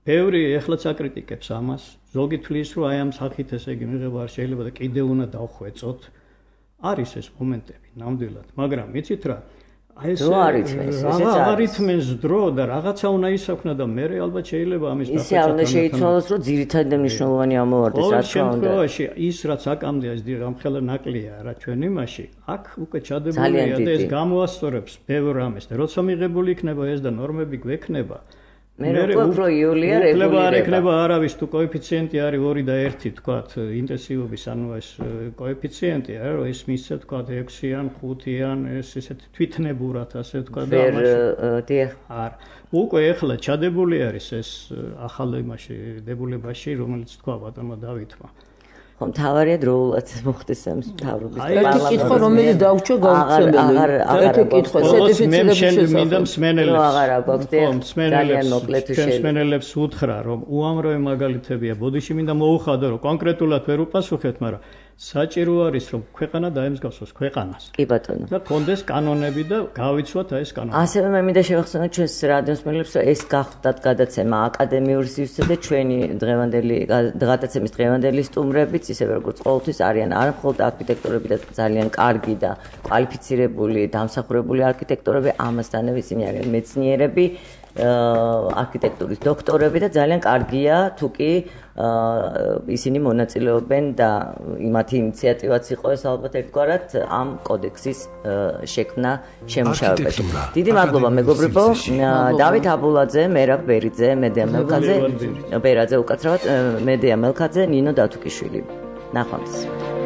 ბევრი ეხლაც აკრიტიკებს ამას, ზოგი თვლის, რომ აი ამ სახით ესე იგი მიღება არ შეიძლება და კიდევ უნდა დავხვეწოთ. არის ეს მომენტები ნამდვილად, მაგრამ იცით რა, აი ეს არითმენს დრო და რაღაცა უნდა ისახნა და მე ალბათ შეიძლება ამის დახვეწა. ისე არ უნდა შეიცვალოს, რომ ძირითადი და მნიშვნელოვანი ამოვარდეს, რა თქმა უნდა. შემთხვევაში ის რაც აკამდე ეს ამხელა ნაკლია რა ჩვენ იმაში, აქ უკვე ჩადებულია და ეს გამოასწორებს ბევრ ამას და როცა მიღებული იქნება ეს და ნორმები გვექნება, მე უფრო იულია რეგულირება. არ ექნება არავის თუ კოეფიციენტი არის 2 და 1 თქვათ ინტენსივობის ანუ ეს კოეფიციენტი არა რომ ეს მისცე თქვათ 6-იან 5-იან ეს ესეთი თვითნებურად ასე თქვათ და არ უკვე ეხლა ჩადებული არის ეს ახალ იმაში დებულებაში რომელიც თქვა ბატონმა დავითმა ხომ თავარია დროულად მოხდეს ამ მთავრობის ერთი კითხვა რომელიც დაუჩო გაუცემელი ერთი კითხვა სერტიფიცირების მინდა მსმენელებს აღარა გვაქვს ძალიან მოკლედ მსმენელებს უთხრა რომ უამრავი მაგალითებია ბოდიში მინდა მოუხადო რომ კონკრეტულად ვერ უპასუხეთ მაგრამ საჭირო არის რომ ქვეყანა დაემსგავსოს ქვეყანას კი ბატონო და კონდეს კანონები და გავიცვათ ეს კანონები ასევე მე მინდა შევახსენოთ ჩვენს რადიოსმენელებს რომ ეს გახდათ გადაცემა აკადემიური სივრცე და ჩვენი გადაცემის დღევანდელი სტუმრებიც ისევე როგორც ყოველთვის არიან არა მხოლოდ არქიტექტორები და ძალიან კარგი და კვალიფიცირებული დამსახურებული არქიტექტორები ამასთანავე ისინი არიან მეცნიერები არქიტექტურის დოქტორები და ძალიან კარგია თუკი ისინი მონაწილეობენ და იმათი ინიციატივაც იყო ეს ალბათ ერთგვარად ამ კოდექსის შექმნა შემუშავებაში. დიდი მადლობა მეგობრებო, დავით აბულაძე, მერაბ ბერიძე, მედია მელქაძე, ბერაძე უკაცრავად, მედია მელქაძე, ნინო დათუკიშვილი. ნახვამდის.